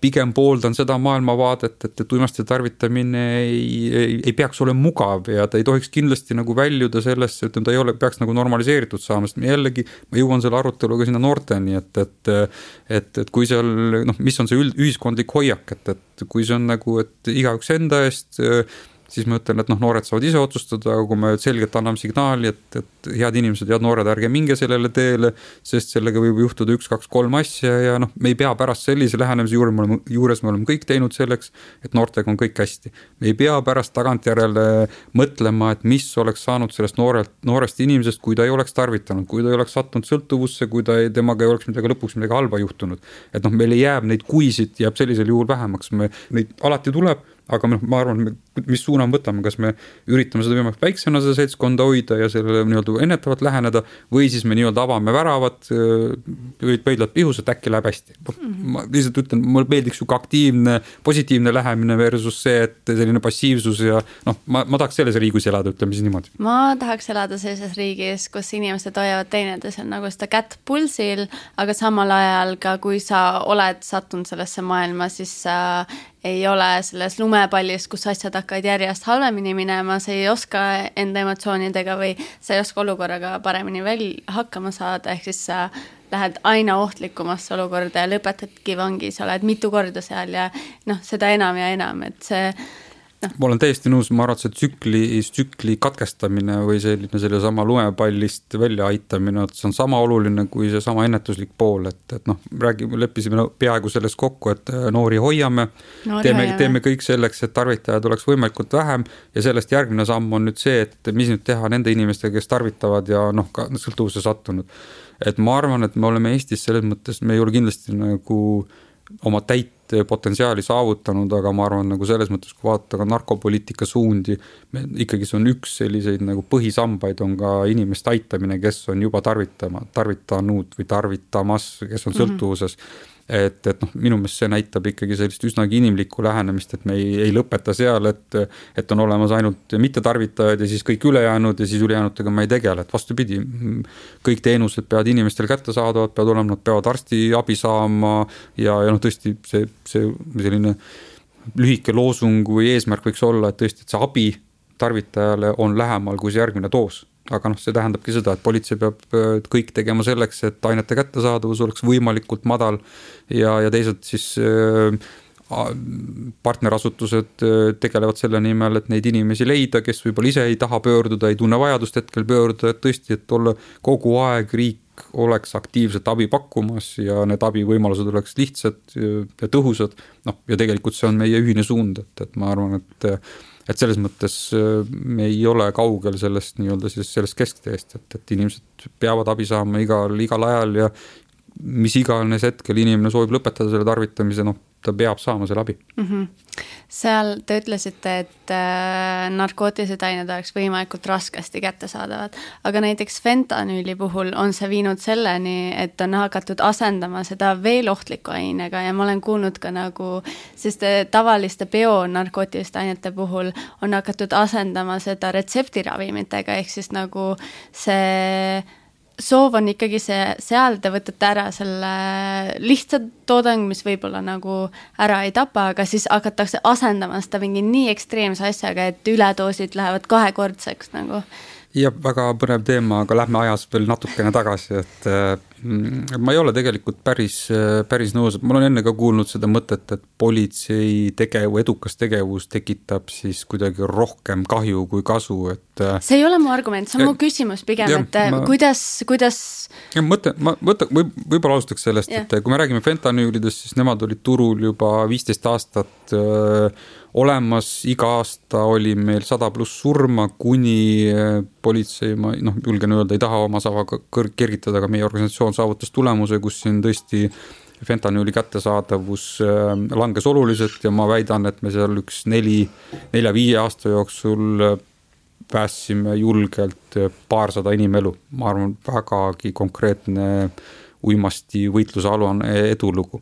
pigem pooldan seda maailmavaadet, et uimasti tarvitamine ei peaks olema mugav ja ta ei tohiks kindlasti nagu väljuda sellesse, et ta ei ole, peaks nagu normaliseeritud saama, sest jällegi ma jõuan selle aruteluga sinna noorteni, et kui seal, noh, mis on see ühiskondlik hoiak, et kui see on nagu, et igaüks enda eest, siis ma ütlen, et noh, noored saavad ise otsustada, aga kui me selgelt anname signaali, et head inimesed, head noored, ärge minge sellele teele, sest sellega võib juhtuda 1, 2, 3 asja ja noh, me ei pea pärast sellise lähenemise juures me oleme kõik teinud selleks, et noortega on kõik hästi. Me ei pea pärast tagantjärele mõtlema, et mis oleks saanud sellest noorest inimesest, kui ta ei oleks tarvitanud, kui ta ei oleks sattunud sõltuvusse, kui temaga ei oleks lõpuks midagi halba juhtunud. Et noh, meil jääb neid kuisid, jääb sellisel juhul vähemaks, neid alati tuleb, aga ma arvan, mis suuna võtame, kas me üritame seda võimalik väiksena seda seltskonda hoida ja sellele nii-öelda ennetavalt läheneda või siis me nii-öelda avame väravad, pöidlad pihus, et äkki läheb hästi. Ma lihtsalt ütlen, mulle meeldiks siuke aktiivne, positiivne lähemine versus see, et selline passiivsus ja noh, ma tahaks selles riigis elada, ütleme siis niimoodi. Ma tahaks elada sellises riigis, kus inimesed hoiavad teineteisel nagu seda kätt pulsil, aga samal ajal ka, kui sa oled sattunud sellesse maailma, siis sa ei ole selles lumepallis, kus asjad hakkavad järjest halvemini minema, sa ei oska enda emotsioonidega või sa ei oska olukorraga paremini hakkama saada, ehk siis sa lähed aina ohtlikumasse olukorda ja lõpetadki vangis, oled mitu korda seal ja noh, seda enam ja enam, et see Ma olen täiesti nõus, ma arvan, et tsükli katkestamine või selle sama lumepallist välja aitamine, et see on sama oluline kui see sama ennetuslik pool, et noh, leppisime peaaegu selles kokku, et noori hoiame, teeme kõik selleks, et tarvitajad oleks võimalikult vähem ja sellest järgmine samm on nüüd see, et mis nüüd teha nende inimestega, kes tarvitavad ja noh, ka sõltuvuse sattunud. Et ma arvan, et me oleme Eestis selles mõttes, me ei ole kindlasti nagu oma täit potentsiaali saavutanud, aga ma arvan nagu selles mõttes, kui vaadata ka narkopoliitika suundi, ikkagi see on üks selliseid nagu põhisambaid on ka inimeste aitamine, kes on juba tarvitanud või tarvitamas, kes on sõltuvuses. Et noh, minu meelest see näitab ikkagi sellist üsnagi inimlikku lähenemist, et me ei lõpeta seal, et on olemas ainult mittetarvitajad ja siis kõik ülejäänud ja siis ülejäänutega ma ei tegele, et vastupidi, kõik teenused peavad inimestel kätte saadavad, nad peavad arsti abi saama ja noh, tõesti see selline lühike loosung või eesmärk võiks olla, et tõesti, et see abi tarvitajale on lähemal kui see järgmine doos. Aga noh, see tähendabki seda, et politsei peab kõik tegema selleks, et ainete kättesaadavus oleks võimalikult madal ja teised siis partnerasutused tegelevad selle nimel, et neid inimesi leida, kes võib-olla ise ei taha pöörduda, ei tunne vajadust hetkel pöörduda, et tõesti, et olla kogu aeg riik oleks aktiivselt abi pakkumas ja need abivõimalused oleks lihtsad ja tõhusad. Noh, ja tegelikult see on meie ühine suund, et ma arvan, et selles mõttes me ei ole kaugel sellest nii-öelda sellest keskteest, et inimesed peavad abi saama igal ajal ja mis iganes hetkel inimene soovib lõpetada selle tarvitamise, noh, ta peab saama selle abi. Seal te ütlesite, et narkootilised ained oleks võimalikult raskesti kättesaadavad, aga näiteks fentanüüli puhul on see viinud selleni, et on hakatud asendama seda veel ohtliku ainega ja ma olen kuulnud ka nagu, sest tavaliste bionarkootiliste ainete puhul on hakatud asendama seda retseptiravimitega, ehk siis nagu see soov on ikkagi seal te võtate ära selle lihtsa toodang, mis võib-olla nagu ära ei tapa, aga siis hakatakse asendama seda mingi nii ekstreemse asjaga, et üledoosid lähevad kahekordseks nagu. Ja väga põnev teema, aga lähme ajas veel natukene tagasi, et ma ei ole tegelikult päris nõus, et ma olen enne ka kuulnud seda mõtet, et politsei edukas tegevus tekitab siis kuidagi rohkem kahju kui kasu, et see ei ole mu argument, see on mu küsimus pigem, et kuidas võib-olla alustaks sellest, et kui me räägime fentanüülidest, siis nemad olid turul juba 15 aastat olemas, iga aasta oli meil 100+ surma, kuni politsei, ma julgen öelda, ei taha oma savaga kergitada, aga meie organisatsioon saavutas tulemuse, kus siin tõesti fentanüüli kättesaadavus langes oluliselt ja ma väidan, et me seal 4-5 aasta jooksul päästsime julgelt 200 inimelu. Ma arvan, vägagi konkreetne uimasti võitlusalune edulugu.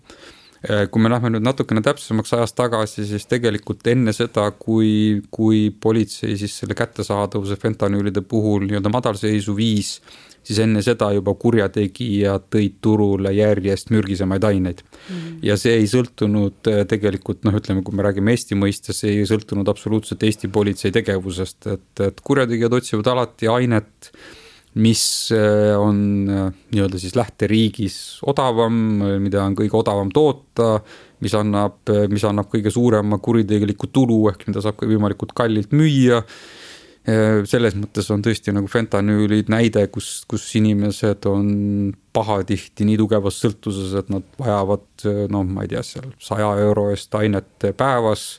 Kui me lähme nüüd natukene täpsemaks ajast tagasi, siis tegelikult enne seda, kui politsei siis selle kättesaadavuse fentanüülide puhul nii-öelda madalseisu viis, siis enne seda juba kurjategijad tõid turule järjest mürgisemaid aineid. Ja see ei sõltunud tegelikult, ütleme, kui me räägime Eesti mõistes, see ei sõltunud absoluutselt Eesti politsei tegevusest, et kurjategijad otsivad alati ainet, mis on nii-öelda siis lähteriigis odavam, mida on kõige odavam toota, mis annab kõige suurema kuritegeliku tulu, ehk mida saab võimalikult kallilt müüa. Selles mõttes on tõesti nagu fentanüülid näide, kus inimesed on pahatihti nii tugevas sõltuses, et nad vajavad, ma ei tea, seal 100 euro eest ainet päevas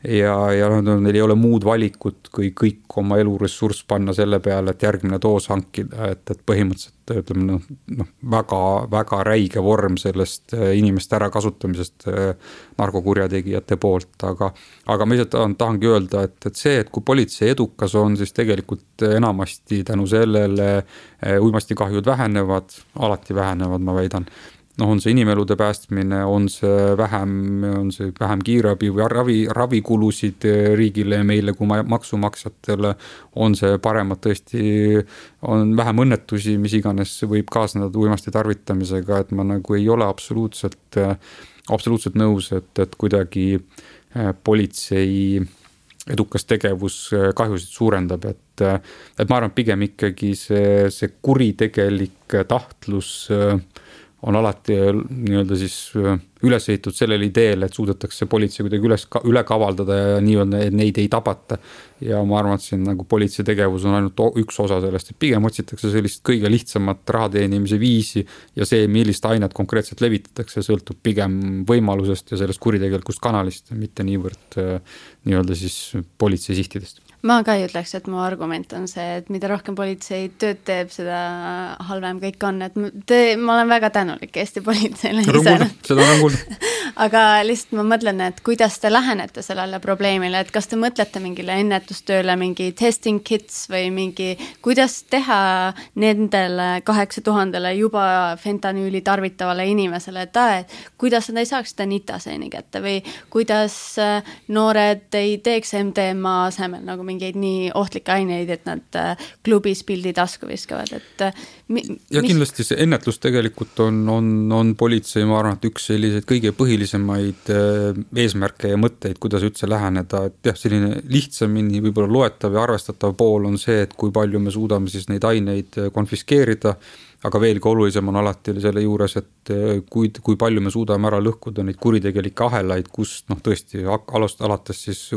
ja neil ei ole muud valikut, kui kõik oma eluressurss panna selle peale, et järgmine doos hankida, et põhimõtteliselt ütleme, väga räige vorm sellest inimeste ärakasutamisest narkokurjategijate poolt, aga ma ise tahangi öelda, et see, et kui politsei edukas on, siis tegelikult enamasti tänu sellele uimastikahjud alati vähenevad, ma väidan. On see inimelude päästmine, on see vähem kiirabi või ravikulusid riigile ja meile kui maksumaksjatele, on see paremad tõesti, on vähem õnnetusi, mis iganes võib kaasneda uimasti tarvitamisega, et ma nagu ei ole absoluutselt nõus, et kuidagi politsei edukas tegevus kahjusid suurendab, et ma arvan, pigem ikkagi see kuritegelik tahtlus on alati nii-öelda siis üles ehitud sellel ideel, et suudetakse politsei kuidagi üle kavaldada ja nii-öelda neid ei tabata. Ja ma arvan, et siin nagu politsei tegevus on ainult üks osa sellest, et pigem otsitakse sellist kõige lihtsamat rahateenimise viisi ja see, millist ainet konkreetselt levitatakse, sõltub pigem võimalusest ja sellest kuritegelikust kanalist, mitte niivõrd nii-öelda siis politsei sihtidest. Ma ka ei ütleks, et mu argument on see, et mida rohkem politsei tööd teeb, seda halvem kõik on, et ma olen väga tänulik Eesti politseile. Seda on kuulda. Aga lihtsalt ma mõtlen, et kuidas te lähenete sellele probleemile, et kas te mõtlete mingile ennetustööle, mingi testing kits või mingi, kuidas teha nendele 8000 juba fentanüüli tarvitavale inimesele, et kuidas nad ei saaks seda nitaseeni kätte või kuidas noored ei teeks MDMA asemel nagu mingeid nii ohtlikke aineid, et nad klubis pildi tasku viskavad, et ja kindlasti see ennetlus tegelikult on politsei, ma arvan, et üks selliseid kõige põhilisemaid eesmärke ja mõtteid, kuidas üldse läheneda, et jah, selline lihtsamini võib-olla loetav ja arvestatav pool on see, et kui palju me suudame siis neid aineid konfiskeerida, aga veelgi olulisem on alati selle juures, et kui palju me suudame ära lõhkuda neid kuritegelikke ahelaid, kus tõesti alates siis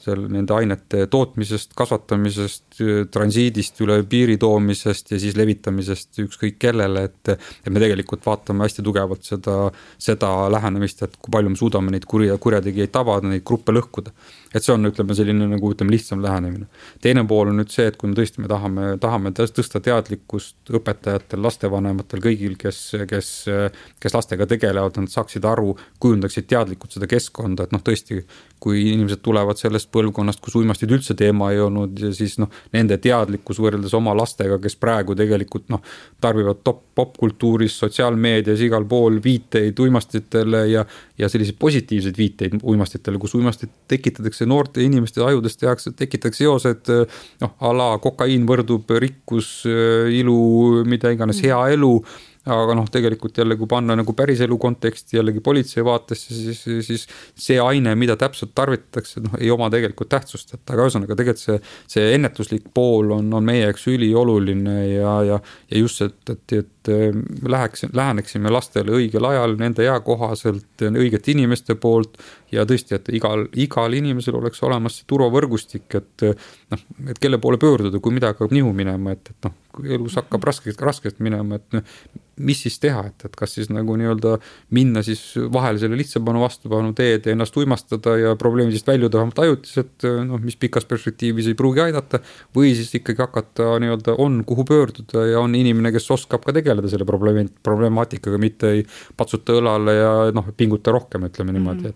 nende ainete tootmisest, kasvatamisest, transiidist üle piiri toomisest ja siis levitamisest ükskõik kellele, et me tegelikult vaatame hästi tugevalt seda lähenemist, et kui palju me suudame neid kurjategijaid tabada, neid gruppe lõhkuda. Et see on, selline nagu lihtsam lähenemine. Teine pool on nüüd see, et kui me tõesti tahame tõsta teadlikkust õpetajate õpetajatel, lastevanematel, kõigil, kes lastega tegelevad, nad saaksid aru, kujundaksid teadlikult seda keskkonda, et tõesti, kui inimesed tulevad sellest põlvkonnast, kus uimastid üldse teema ei olnud ja siis nende teadlikkus võrreldes oma lastega, kes praegu tegelikult tarbivad popkultuuris, sotsiaalmeedias, igal pool viiteid uimastitele ja selliseid positiivseid viiteid uimastitele, kus uimastid tekitatakse noorte inimeste ajudest tekitatakse seosed, ala kokaiin võrdub rikkus, ilu, mida iganes, hea elu. Aga tegelikult jälle, kui panna päris elu konteksti jällegi politsei vaatesse, siis see aine, mida täpselt tarvitatakse, ei oma tegelikult tähtsust, aga ühesõnaga tegelikult see ennetuslik pool on meie eks ülioluline ja just, et läheneksime lastele õigel ajal, nende eakohaselt, õigete inimeste poolt ja tõesti, et igal inimesel oleks olemas see turvavõrgustik, et kelle poole pöörduda, kui midagi hakkab nihu minema, et kui elus hakkab raskelt minema, et mis siis teha, et kas siis nii-öelda minna siis vahele selle lihtsapanu vastupanu teed ja ennast uimastada ja probleemidest väljuda vähemalt ajutiselt, mis pikas perspektiivis ei pruugi aidata, või siis ikkagi hakata nii-öelda on kuhu pöörduda ja on inimene, kes oskab ka tegeleda selle problemaatikaga, mitte ei patsuta õlale ja pinguta rohkem, ütleme niimoodi,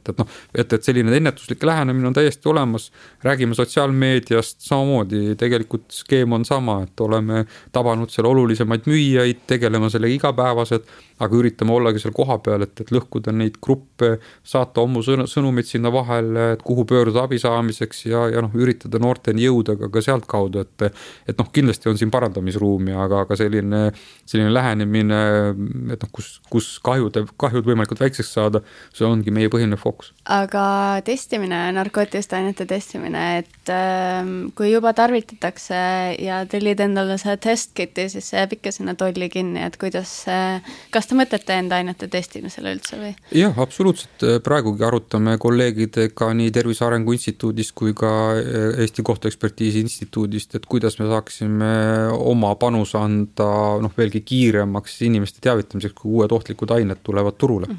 et selline ennetuslik lähenemine on täiesti olemas, räägime sotsiaalmeediast samamoodi, tegelikult skeem on sama, et oleme tabanud seal olulisemaid müüjaid, tegelema sellega igapäevased, aga üritame ollagi seal koha peal, et lõhkuda neid gruppe, saata ommu sõnumid sinna vahele, et kuhu pöörduda abi saamiseks ja üritada noorteni jõuda ka sealt kaudu, et kindlasti on siin parandamisruumi, aga selline lähenemine, et kus kahjud võimalikult väikseks saada, see ongi meie põhiline fookus. Aga testimine, narkootiliste ainete testimine, et kui juba tarvitatakse ja tellid endale see testkiti, siis see jääb ikka sinna tolli kinni, et kas te mõtlete enda ainete testimisele üldse või? Jah, absoluutselt. Praegugi arutame kolleegidega nii Tervise Arengu Instituudist kui ka Eesti Kohtuekspertiisi Instituudist, et kuidas me saaksime oma panus anda veelgi kiiremaks inimeste teavitamiseks, kui uued ohtlikud ained tulevad turule.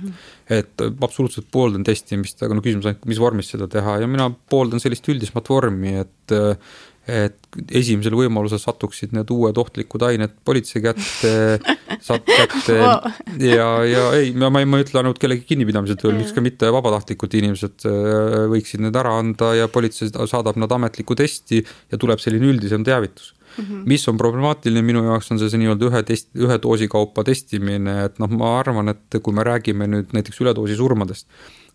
Et absoluutselt pooldan testimist, aga küsimus on, mis vormis seda teha ja mina pooldan sellist üldismat vormi, et esimesel võimalusel satuksid need uued ohtlikud ained politsei kätte ja ei, ma ei ütle ainult kellegi kinnipidamise tööl, miks ka mitte vabatahtlikud inimesed võiksid need ära anda ja politsei saadab nad ametliku testi ja tuleb selline üldisem teavitus. Mis on problemaatiline minu jaoks on see nii-öelda ühe doosi kaupa testimine, et ma arvan, et kui me räägime nüüd näiteks üledoosi surmadest,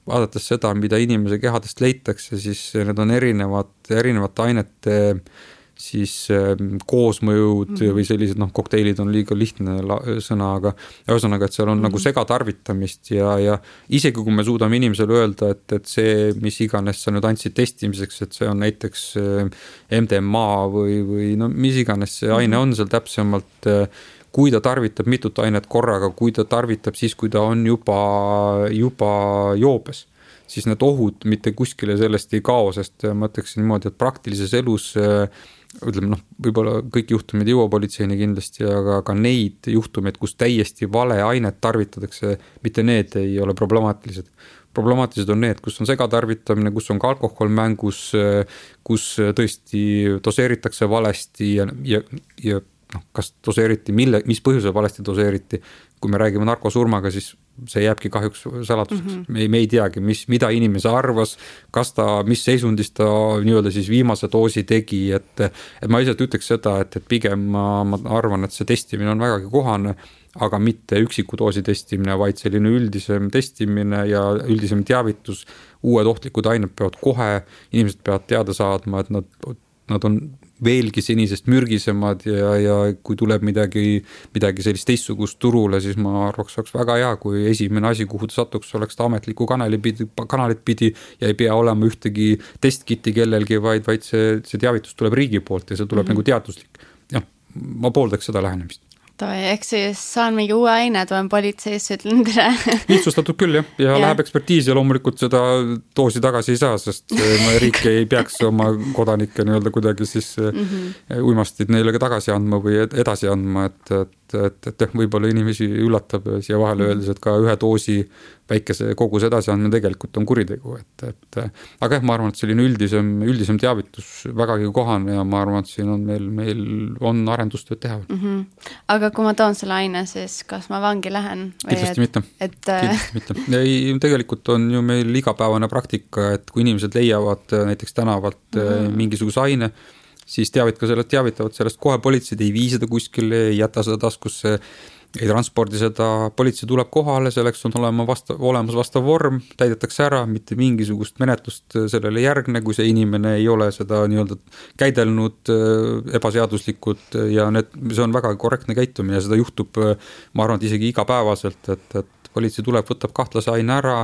vaadates seda, mida inimese kehadest leitakse, siis need on erinevate ainete siis koosmõjud või sellised kokteilid on liiga lihtne sõna, aga ühesõnaga, et seal on nagu segatarvitamist ja isegi kui me suudame inimesele öelda, et see, mis iganes sa nüüd andsid testimiseks, et see on näiteks MDMA või mis iganes see aine on seal täpsemalt, kui ta tarvitab mitut ainet korraga, kui ta tarvitab siis, kui ta on juba joobes, siis need ohud mitte kuskile sellest ei kao, sest ma ütleksin niimoodi, et praktilises elus ütleme, võib-olla kõik juhtumid ei jõua politseini kindlasti, aga ka neid juhtumeid, kus täiesti vale ainet tarvitatakse, mitte need ei ole problemaatilised. Problemaatilised on need, kus on segatarvitamine, kus on ka alkohol mängus, kus tõesti doseeritakse valesti ja kas doseeriti, mis põhjusel valesti doseeriti. Kui me räägime narkosurmaga, siis see jääbki kahjuks salatuseks. Me ei teagi, mida inimese arvas, mis seisundis ta nii-öelda siis viimase doosi tegi, et ma ise ütleks seda, et pigem ma arvan, et see testimine on vägagi kohane, aga mitte üksiku doosi testimine, vaid selline üldisem testimine ja üldisem teavitus, uued ohtlikud ained peavad kohe, inimesed peavad teada saadma, et nad on veelgi senisest mürgisemad ja kui tuleb midagi sellist teistsugust turule, siis ma arvaks, oleks väga hea, kui esimene asi, kuhu ta satuks, oleks ta ametliku kanalit pidi ja ei pea olema ühtegi testkiti kellelgi, vaid see teavitus tuleb riigi poolt ja see tuleb nagu teaduslik. Ja, ma pooldaks seda lähenemist. Ehk siis saan mingi uue aine, toon politseis, ütlen tere. Lihtsustatud küll ja läheb ekspertiis ja loomulikult seda doosi tagasi ei saa, sest riik ei peaks oma kodanikke nii-öelda kuidagi siis uimastid neile tagasi andma või edasi andma, et et võib-olla inimesi üllatab siia vahele öeldes, et ka ühe doosi väikese koguse edasiandmine tegelikult on kuritegu, aga ma arvan, et selline üldisem teavitus vägagi kohane ja ma arvan, et siin on meil on arendustööd teha. Aga kui ma toon selle aine, siis kas ma vangi lähen? Kindlasti mitte. Ei, tegelikult on ju meil igapäevane praktika, et kui inimesed leiavad näiteks tänavalt mingisuguse aine, siis teavitavad sellest kohe politseid, ei vii seda kuskile, ei jäta seda taskusse, ei transpordi seda, politsei tuleb kohale, selleks on olemas vastav vorm, täidetakse ära, mitte mingisugust menetlust sellele järgne, kui see inimene ei ole seda nii-öelda käidelnud ebaseaduslikult ja see on väga korrektne käitumine ja seda juhtub, ma arvan, et isegi igapäevaselt, et politsei tuleb, võtab kahtlase aine ära,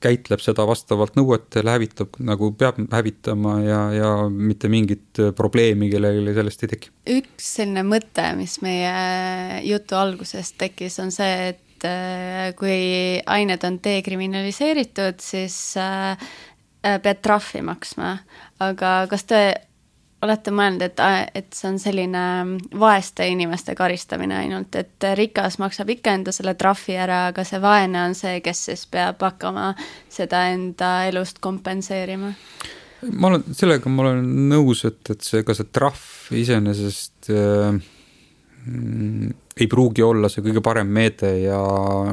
käitleb seda vastavalt nõuetele, hävitab nagu peab hävitama ja mitte mingit probleemi kellelegi sellest ei teki. Üks selline mõte, mis meie jutu algusest tekkis, on see, et kui ained on dekriminaliseeritud, siis pead trahvi maksma. Aga kas te olete mõelnud, et see on selline vaeste inimeste karistamine ainult, et rikas maksab ikka enda selle trahvi ära, aga see vaene on see, kes siis peab hakkama seda enda elust kompenseerima? Sellega ma olen nõus, et see trahv iseenesest ei pruugi olla see kõige parem meede ja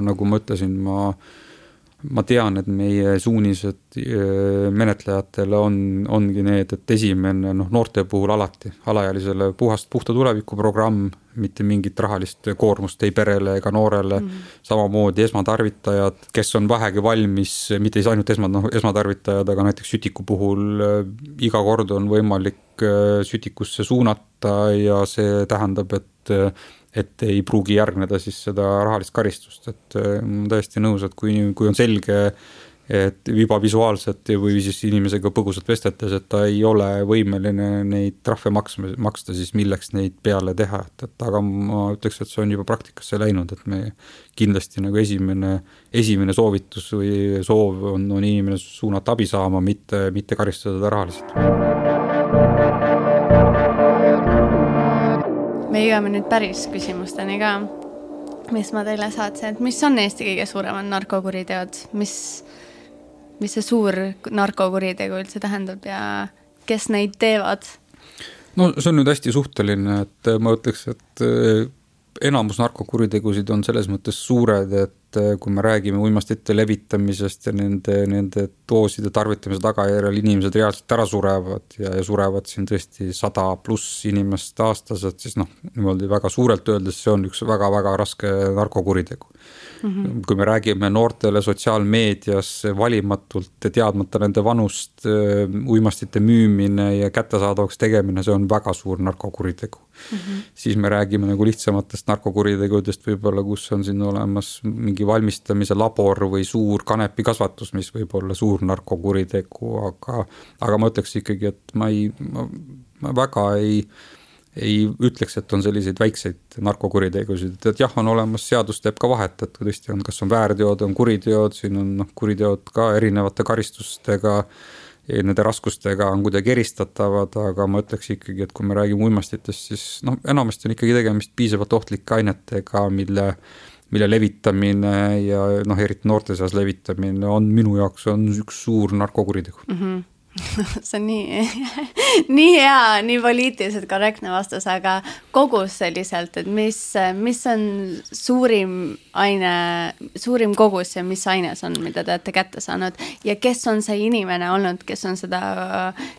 nagu ma ütlesin, ma tean, et meie suunised menetlejatele ongi need, et esimene noorte puhul alati, alaealisele puhta tuleviku programm, mitte mingit rahalist koormust ei perele ega noorele, samamoodi esmatarvitajad, kes on vähegi valmis, mitte ainult esmatarvitajad, aga näiteks sütiku puhul iga kord on võimalik sütikusse suunata ja see tähendab, et ei pruugi järgneda siis seda rahalist karistust, et ma täiesti nõus, et kui on selge, et juba visuaalselt või siis inimesega põgusalt vestetes, et ta ei ole võimeline neid trahve maksta, siis milleks neid peale teha, aga ma ütleks, et see on juba praktikasse läinud, et me kindlasti nagu esimene soovitus või soov on inimene suunata abi saama, mitte karistada ta rahaliselt. Me jõuame nüüd päris küsimusteni ka, mis ma teile saatsin, et mis on Eesti kõige suuremad narkokuriteod, mis see suur narkokuritegu üldse tähendab ja kes neid teevad? No see on nüüd hästi suhteline, et ma ütleks, et enamus narkokuritegusid on selles mõttes suured, et kui me räägime uimastite levitamisest ja nende dooside tarvitamise tagajärjel inimesed reaalselt ära surevad ja surevad siin tõesti 100+ inimest aastas, et siis niimoodi väga suurelt öeldes see on üks väga-väga raske narkokuritegu. Kui me räägime noortele sotsiaalmeedias valimatult teadmata nende vanust, uimastite müümine ja kättesaadavaks tegemine, see on väga suur narkokuritegu. Siis me räägime nagu lihtsamatest narkokuritegudest võib-olla, kus on siin olemas mingi valmistamise labor või suur kanepikasvatus, mis võib olla suur narkokuritegu, aga ma ütleks ikkagi, et ma väga ei ütleks, et on selliseid väikseid narkokuritegusid, et jah, on olemas, seadus teeb ka vahet, et kui tõesti on, kas on väärteod, on kuriteod, siin on kuriteod ka erinevate karistustega, nende raskustega on kuidagi eristatavad, aga ma ütleks ikkagi, et kui me räägime uimastitest, siis enamasti on ikkagi tegemist piisavalt ohtlike ainetega, mille levitamine ja eriti noorte seas levitamine on minu jaoks on üks suur narkokuritegu. See on nii hea, nii poliitiliselt korrektne vastus, aga kogus selliselt, et mis on suurim kogus ja mis aines on, mida te olete kätte saanud ja kes on see inimene olnud, kes on seda,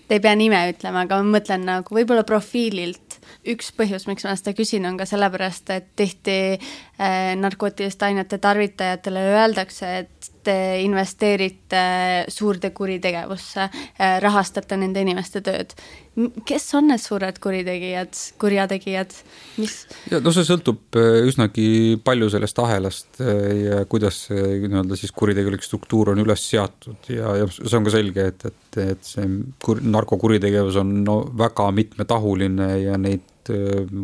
te ei pea nime ütlema, aga ma mõtlen nagu võib-olla profiililt. Üks põhjus, miks ma seda küsin, on ka sellepärast, et tihti narkootiliste ainete tarvitajatele öeldakse, et te investeerite suurde kuritegevusse, rahastate nende inimeste tööd. Kes on need suured kurjategijad? Ja, see sõltub üsnagi palju sellest ahelast ja kuidas siis kuritegelik struktuur on üles seatud ja see on ka selge, et see narkokuritegevus on väga mitmetahuline ja neid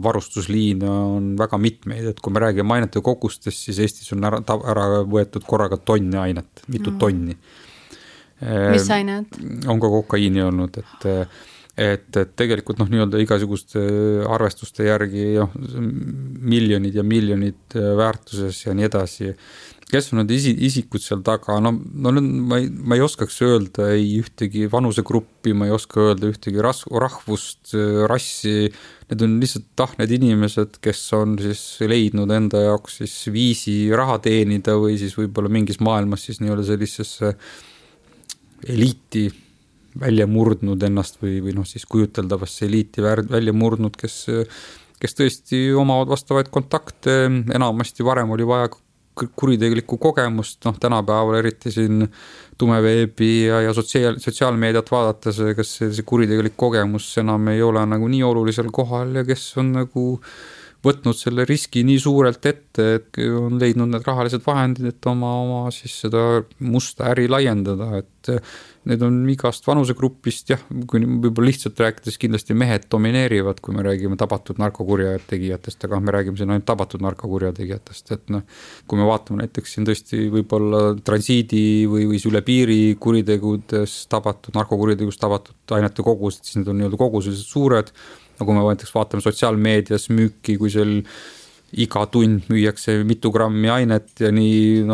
varustusliine on väga mitmeid, et kui me räägime ainete kogustest, siis Eestis on ära võetud korraga tonni ainet, mitu tonni. Mis ained? On ka kokaiini olnud, et tegelikult nii-öelda igasuguste arvestuste järgi miljonid ja miljonid väärtuses ja nii edasi. Kes on need isikud seal taga? Ma ei oskaks öelda ei ühtegi vanusegruppi, ma ei oska öelda ühtegi rahvust, rassi. Need on lihtsalt need inimesed, kes on siis leidnud enda jaoks siis viisi raha teenida või siis võib-olla mingis maailmas siis nii-öelda sellisesse eliiti välja murdnud ennast või siis kujuteldavasse eliiti välja murdnud, kes tõesti omavad vastavaid kontakte. Enamasti varem oli vaja kuritegelikku kogemust, tänapäeval eriti siin tumeveebi ja sotsiaalmeediat vaadates, kas see kuritegelik kogemus enam ei ole nagu nii olulisel kohal ja kes on nagu võtnud selle riski nii suurelt ette, et on leidnud need rahalised vahendid, et oma siis seda musta äri laiendada, et need on igast vanusegrupist, kui võib-olla lihtsalt rääkides kindlasti mehed domineerivad, kui me räägime tabatud narkokurjategijatest, aga me räägime siin ainult tabatud narkokurjategijatest, et kui me vaatame näiteks siin tõesti võib-olla transiidi või üle piiri kuritegudest tabatud, narkokuritegudest tabatud ainete kogused, siis need on nii-öelda kogused suured. Nagu me vaatame sotsiaalmeedias müüki, kui seal iga tund müüakse mitu grammi ainet ja nii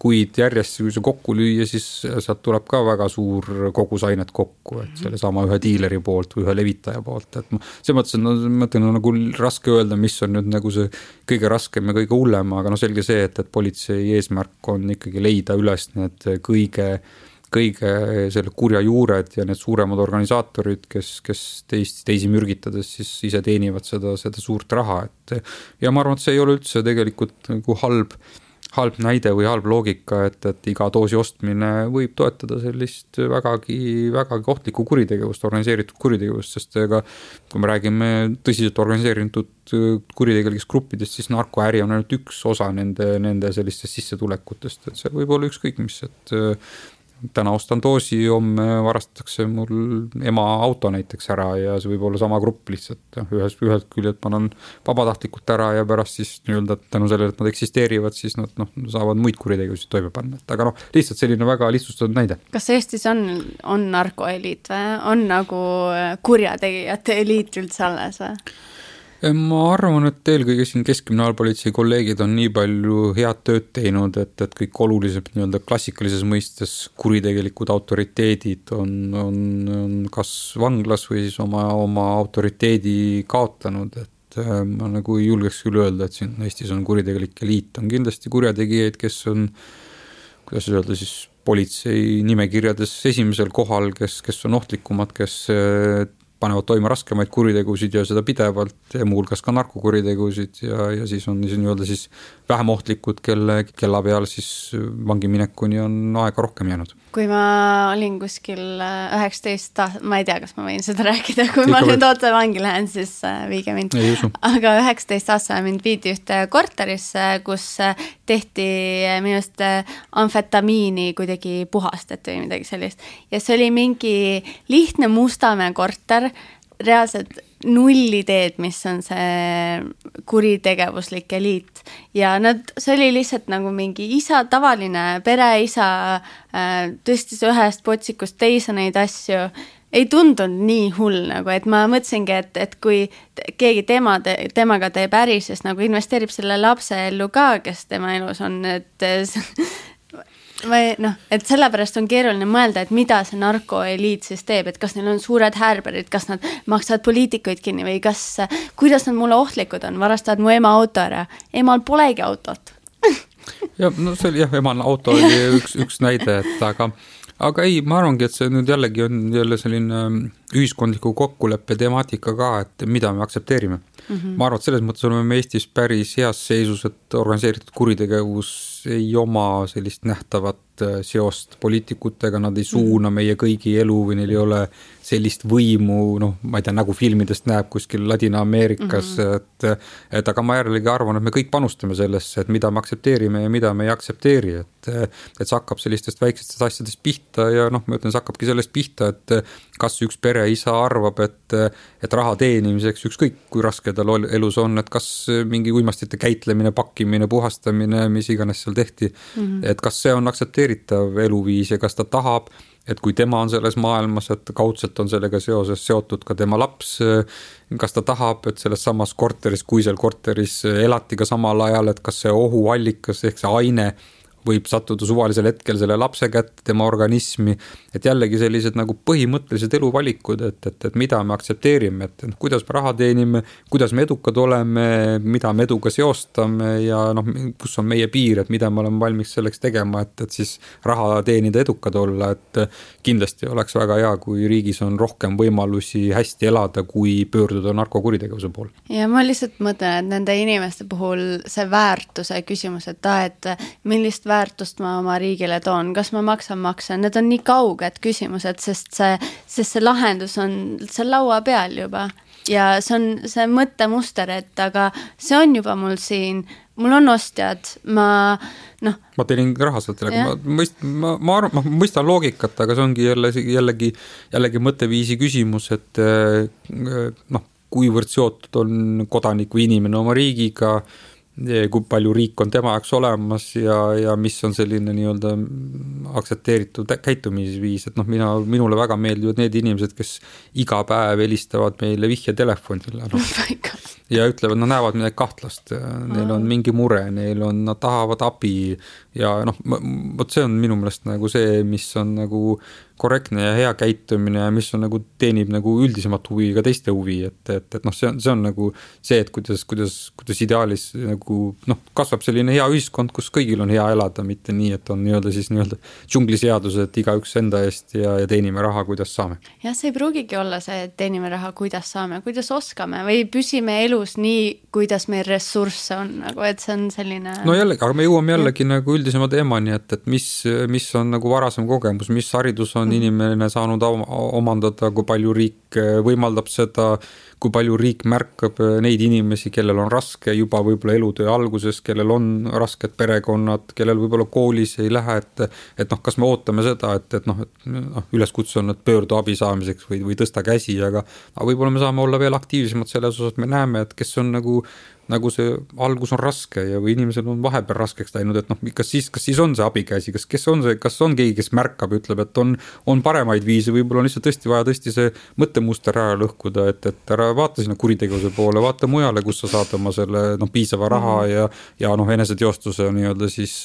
kuid järjest, kui see kokku lüüa, siis sealt tuleb ka väga suur kogus ainet kokku, et selle sama ühe diileri poolt või ühe levitaja poolt. Et see mõtlen nagu raske öelda, mis on nüüd nagu see kõige raskem ja kõige hullem, aga selge see, et politsei eesmärk on ikkagi leida üles need kõige selle kurja juured ja need suuremad organisaatorid, kes teisi mürgitades siis ise teenivad seda suurt raha. Ja ma arvan, et see ei ole üldse tegelikult nagu halb näide või halb loogika, et iga doosi ostmine võib toetada sellist vägagi ohtlikku kuritegevust, organiseeritud kuritegevust, sest kui me räägime tõsiselt organiseeritud kuritegelikest gruppidest, siis narkoäri on ainult üks osa nende sellistest sissetulekutest, et see võib olla ükskõik mis, et täna ostan doosi, homme varastatakse mul ema auto näiteks ära ja see võib olla sama grupp lihtsalt. Ühelt küljelt ma olen vabatahtlikult ära ja pärast siis nii-öelda tänu sellele, et nad eksisteerivad, siis nad saavad muid kuritegevusi toime panna. Aga lihtsalt selline väga lihtsustatud näide. Kas Eestis on narkoeliit või? On nagu kurjategijate eliit üldse alles või? Ma arvan, et eelkõige siin Keskkriminaalpolitsei kolleegid on nii palju head tööd teinud, et kõik olulised nii-öelda klassikalises mõistes kuritegelikud autoriteedid on kas vanglas või siis oma autoriteedi kaotanud, et ma nagu ei julgeks küll öelda, et siin Eestis on kuritegelik eliit, on kindlasti kurjategijaid, kes on, kuidas öelda siis, politsei nimekirjades esimesel kohal, kes on ohtlikumad, kes panevad toime raskemaid kuritegusid ja seda pidevalt ja muulgas ka narkokuritegusid ja siis on nii-öelda siis vähem ohtlikud, kella peal siis vangi minekuni on aega rohkem jäänud. Kui ma olin kuskil 19, ma ei tea, kas ma võin seda rääkida, kui ma nüüd otse vangi lähen, siis viige mind. Aga 19 aastal mind viidi ühte korterisse, kus tehti minust amfetamiini kuidagi puhastati või midagi sellist. Ja see oli mingi lihtne Mustamäe korter, reaalselt null ideed, mis on see kuritegevuslik eliit ja see oli lihtsalt nagu mingi isa, tavaline pereisa tõstis ühest potsikust teise neid asju, ei tundunud nii hull nagu, et ma mõtlesingi, et kui keegi temaga teeb äri, siis nagu investeerib selle lapse ellu ka, kes tema elus on, et sellepärast on keeruline mõelda, et mida see narkoeliit siis teeb, et kas neil on suured härberid, kas nad maksavad poliitikuid kinni või kuidas nad mulle ohtlikud on, varastavad mu ema auto ära. Emal polegi autot. Ja, see oli emal auto oli üks näide, aga ei, ma arvangi, et see nüüd jällegi on jälle selline ühiskondliku kokkuleppe temaatika ka, et mida me aktsepteerime. Ma arvan, et selles mõttes oleme me Eestis päris heas seisus, et organiseeritud kuritegevus ei oma sellist nähtavat seost poliitikutega, nad ei suuna meie kõigi elu või neil ei ole sellist võimu, ma ei tea, nagu filmidest näeb kuskil Ladina-Ameerikas, et aga ma jällegi arvan, et me kõik panustame sellesse, et mida me aktsepteerime ja mida me ei aktsepteeri, et see hakkab sellistest väikestest asjadest pihta ja ma ütlen, see hakkabki sellest pihta, et kas üks pereisa arvab, et raha teenimiseks, ükskõik kui raske tal elus on, et kas mingi uimastite käitlemine, pakkimine, puhastamine, mis iganes seal tehti, et kas see on aktsepteeritav eluviis ja kas ta tahab, et kui tema on selles maailmas, et kaudselt on sellega seotud ka tema laps, kas ta tahab, et selles samas korteris, kui seal korteris elati ka samal ajal, et kas see ohuallikas ehk see aine võib sattuda suvalisel hetkel selle lapse kätte, tema organismi, et jällegi sellised nagu põhimõttelised eluvalikud, et mida me aktsepteerime, et kuidas me raha teenime, kuidas me edukad oleme, mida me eduga seostame ja noh, kus on meie piir, et mida me oleme valmis selleks tegema, et siis raha teenida edukad olla, et kindlasti oleks väga hea, kui riigis on rohkem võimalusi hästi elada, kui pöörduda narkokuritegevuse poole. Ja ma lihtsalt mõtlen, et nende inimeste puhul see väärtuse küsimus, et millist väärtust ma oma riigile toon, kas ma maksan makse, need on nii kauged küsimused, sest see lahendus on seal laua peal juba ja see on see mõttemuster, et aga see on juba mul siin, mul on ostjad, ma teenin raha sealt, ma mõistan loogikat, aga see ongi jällegi mõtteviisi küsimus, et kuivõrd seotud on kodanik või inimene oma riigiga, kui palju riik on tema jaoks olemas ja mis on selline nii-öelda aktsepteeritud käitumisviis, et minule väga meeldivad need inimesed, kes iga päev helistavad meile vihjetelefonile ja ütlevad, nad näevad midagi kahtlast, neil on mingi mure, nad tahavad abi ja vot see on minu meelest nagu see, mis on nagu korrektne ja hea käitumine ja mis on nagu teenib nagu üldisemat huvi ka teiste huvi, et see on nagu see, et kuidas ideaalis nagu kasvab selline hea ühiskond, kus kõigil on hea elada, mitte nii, et on nii-öelda džungliseadus, et igaüks enda eest ja teenime raha, kuidas saame. Ja see ei pruugigi olla see, et teenime raha, kuidas saame, kuidas oskame või püsime elus nii, kuidas meil ressursse on, nagu, et see on selline... No jällegi, aga me jõuame jällegi nagu üldisema teemani, et mis on nagu varasem kogemus, mis haridus on inimene saanud omandada, kui palju riik võimaldab seda, kui palju riik märkab neid inimesi, kellel on raske juba võib-olla elutöö alguses, kellel on rasked perekonnad, kellel võib-olla koolis ei lähe, et kas me ootame seda, et üleskutse on, et pöördu abi saamiseks või tõsta käsi, aga võib-olla me saame olla veel aktiivsemad selles osas, me näeme, et kes on nagu see algus on raske ja või inimesel on vahepeal raskeks läinud, et kas siis on see abikäsi, kas on keegi, kes märkab, ütleb, et on paremaid viise, võib-olla on lihtsalt vaja see mõttemuster ära lõhkuda, et ära vaata sinna kuritegevuse poole, vaata mujale, kus sa saad oma selle piisava raha ja eneseteostuse nii-öelda siis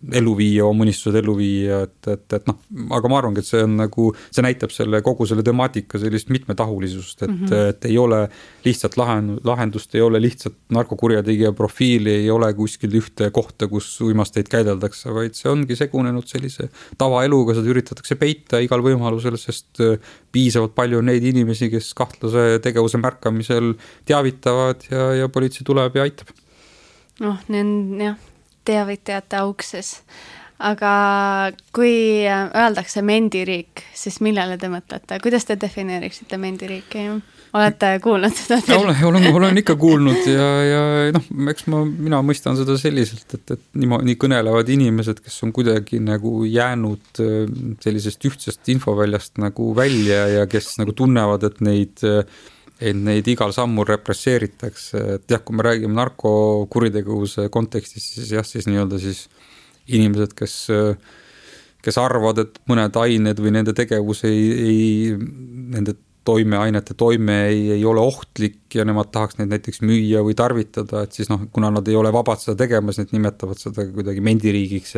elu viia, oma unistused elu viia, et aga ma arvangi, et see on nagu, see näitab kogu selle temaatika sellist mitmetahulisust, et ei ole lihtsalt lahendust, ei ole lihtsalt narkokurjategija profiili, ei ole kuskil ühte kohta, kus uimasteid käideldakse, vaid see ongi segunenud sellise tavaeluga, seda üritatakse peita igal võimalusel, sest piisavalt palju on neid inimesi, kes kahtlase tegevuse märkamisel teavitavad ja politsei tuleb ja aitab. Teavitajate aukses. Aga kui öeldakse mendiriik, siis millele te mõtlete? Kuidas te defineeriksite mendiriiki? Olete kuulnud seda? Olen ikka kuulnud ja eks mina mõistan seda selliselt, et nii kõnelevad inimesed, kes on kuidagi nagu jäänud sellisest ühtsest infoväljast nagu välja ja kes nagu tunnevad, et neid igal sammul represseeritakse, et jah, kui me räägime narkokuritegevuse kontekstis, siis nii-öelda siis inimesed, kes arvavad, et mõned ained või nende tegevus nende toimeainete toime ei ole ohtlik ja nemad tahaks neid näiteks müüa või tarvitada, et siis kuna nad ei ole vabad seda tegemas, need nimetavad seda kuidagi mendiriigiks,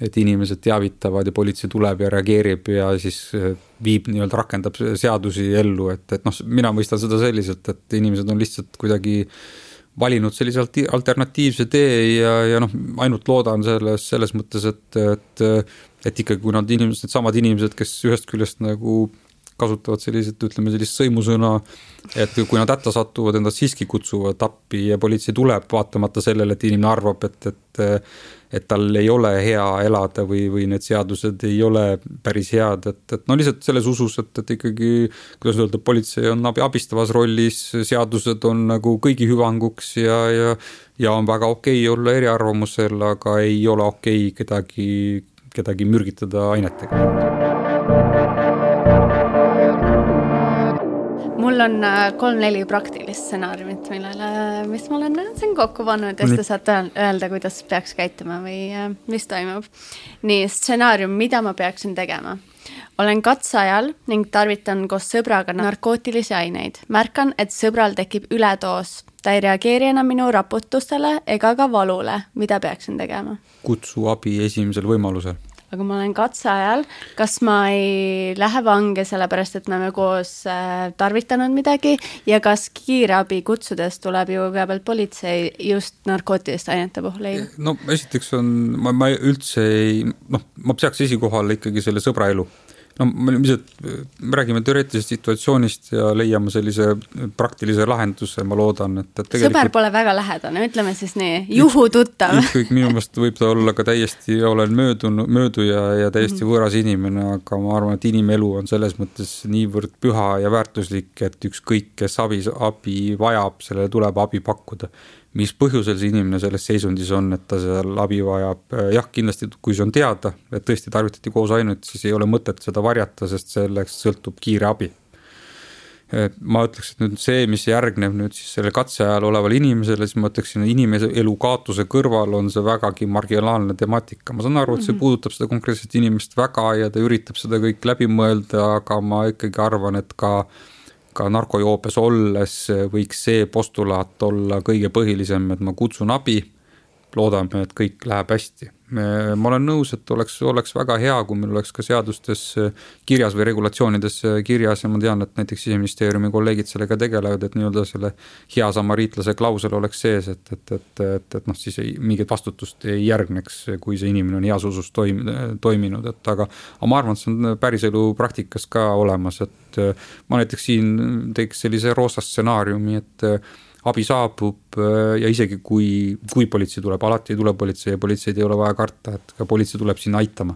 et inimesed teavitavad ja politsei tuleb ja reageerib ja siis viib nii-öelda rakendab seadusi ellu, et mina mõistan seda selliselt, et inimesed on lihtsalt kuidagi valinud sellise alternatiivse tee ja ainult loodan selles mõttes, et ikkagi kui need samad inimesed, kes ühest küljest nagu kasutavad sellist sõimusõna, et kui nad hätta satuvad, endast siiski kutsuvad appi ja politsei tuleb vaatamata sellele, et inimene arvab, et tal ei ole hea elada või need seadused ei ole päris head, et lihtsalt selles usus, et ikkagi, kuidas öelda, politsei on abistavas rollis, seadused on nagu kõigi hüvanguks ja on väga okei olla eriarvamusel, aga ei ole okei kedagi mürgitada ainetega. Mul mul on 3-4 praktilist stsenaariumit, mis ma olen siin kokku pannud ja siis te saate öelda, kuidas peaks käituma või mis toimub. Nii, stsenaarium, mida ma peaksin tegema. Olen katseajal ning tarvitan koos sõbraga narkootilisi aineid. Märkan, et sõbral tekib üledoos. Ta ei reageeri enam minu raputustele ega ka valule. Mida peaksin tegema? Kutsu abi esimesel võimalusel. Aga ma olen katseajal. Kas ma ei lähe vange sellepärast, et me oleme koos tarvitanud midagi ja kas kiirabi kutsudes tuleb ju kõigepealt politsei just narkootiliste ainete puhul ei? No esiteks on, ma üldse ei, ma peaks esikohal ikkagi selle sõbra elu. No me räägime teoreetilisest situatsioonist ja leiame sellise praktilise lahenduse, ma loodan, et tegelikult... Sõber pole väga lähedane, ütleme siis nii, juhututtav. Ükskõik minu meelest võib ta olla ka täiesti, olen mööduja ja täiesti võõras inimene, aga ma arvan, et inimelu on selles mõttes niivõrd püha ja väärtuslik, et ükskõik, kes abi vajab, sellele tuleb abi pakkuda. Mis põhjusel see inimene selles seisundis on, et ta seal abi vajab. Jah, kindlasti, kui see on teada, et tõesti tarvitati koos ainult, siis ei ole mõtet seda varjata, sest selleks sõltub kiire abi. Ma ütleks, et nüüd see, mis järgneb nüüd siis selle katse ajal oleval inimesele, siis ma ütleksin, inimese elu kaotuse kõrval on see vägagi marginaalne temaatika. Ma saan aru, et see puudutab seda konkreetset inimest väga ja ta üritab seda kõik läbi mõelda, aga ma ikkagi arvan, et ka narkojoopes olles võiks see postulaat olla kõige põhilisem, et ma kutsun abi, loodame, et kõik läheb hästi. Ma olen nõus, et oleks väga hea, kui meil oleks ka seadustes kirjas või regulatsioonides kirjas ja ma tean, et näiteks Siseministeeriumi kolleegid sellega tegelevad, et nii-öelda selle hea samariitlase klausel oleks sees, et siis mingit vastutust ei järgneks, kui see inimene on heas usus toiminud, aga ma arvan, et see on päris elu praktikas ka olemas, et ma näiteks siin teeks sellise roosa stsenaariumi, et abi saabub ja isegi kui politsei tuleb, alati ei tule politsei ja politseid ei ole vaja karta, et ka politsei tuleb siin aitama.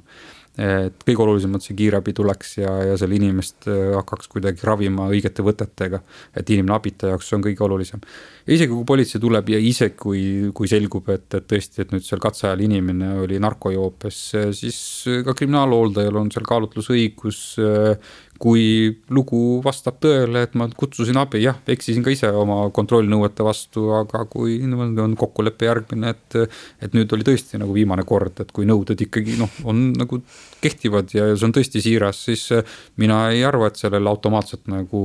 Et kõige olulisemalt see kiirabi tuleks ja selle inimest hakkaks kuidagi ravima õigete võtetega, et inimene abita jaoks on kõige olulisem. Ja isegi kui politsei tuleb ja isegi kui selgub, et tõesti, et nüüd seal katseajal inimene oli narkojoopes, siis ka kriminaalhooldajal on seal kaalutlusõigus, kui lugu vastab tõele, et ma kutsusin abi, jah, eksisin ka ise oma kontrollnõuete vastu, aga kui on kokkuleppe järgmine, et nüüd oli tõesti nagu viimane kord, et kui nõuded ikkagi on nagu kehtivad ja see on tõesti siiras, siis mina ei arva, et sellele automaatselt nagu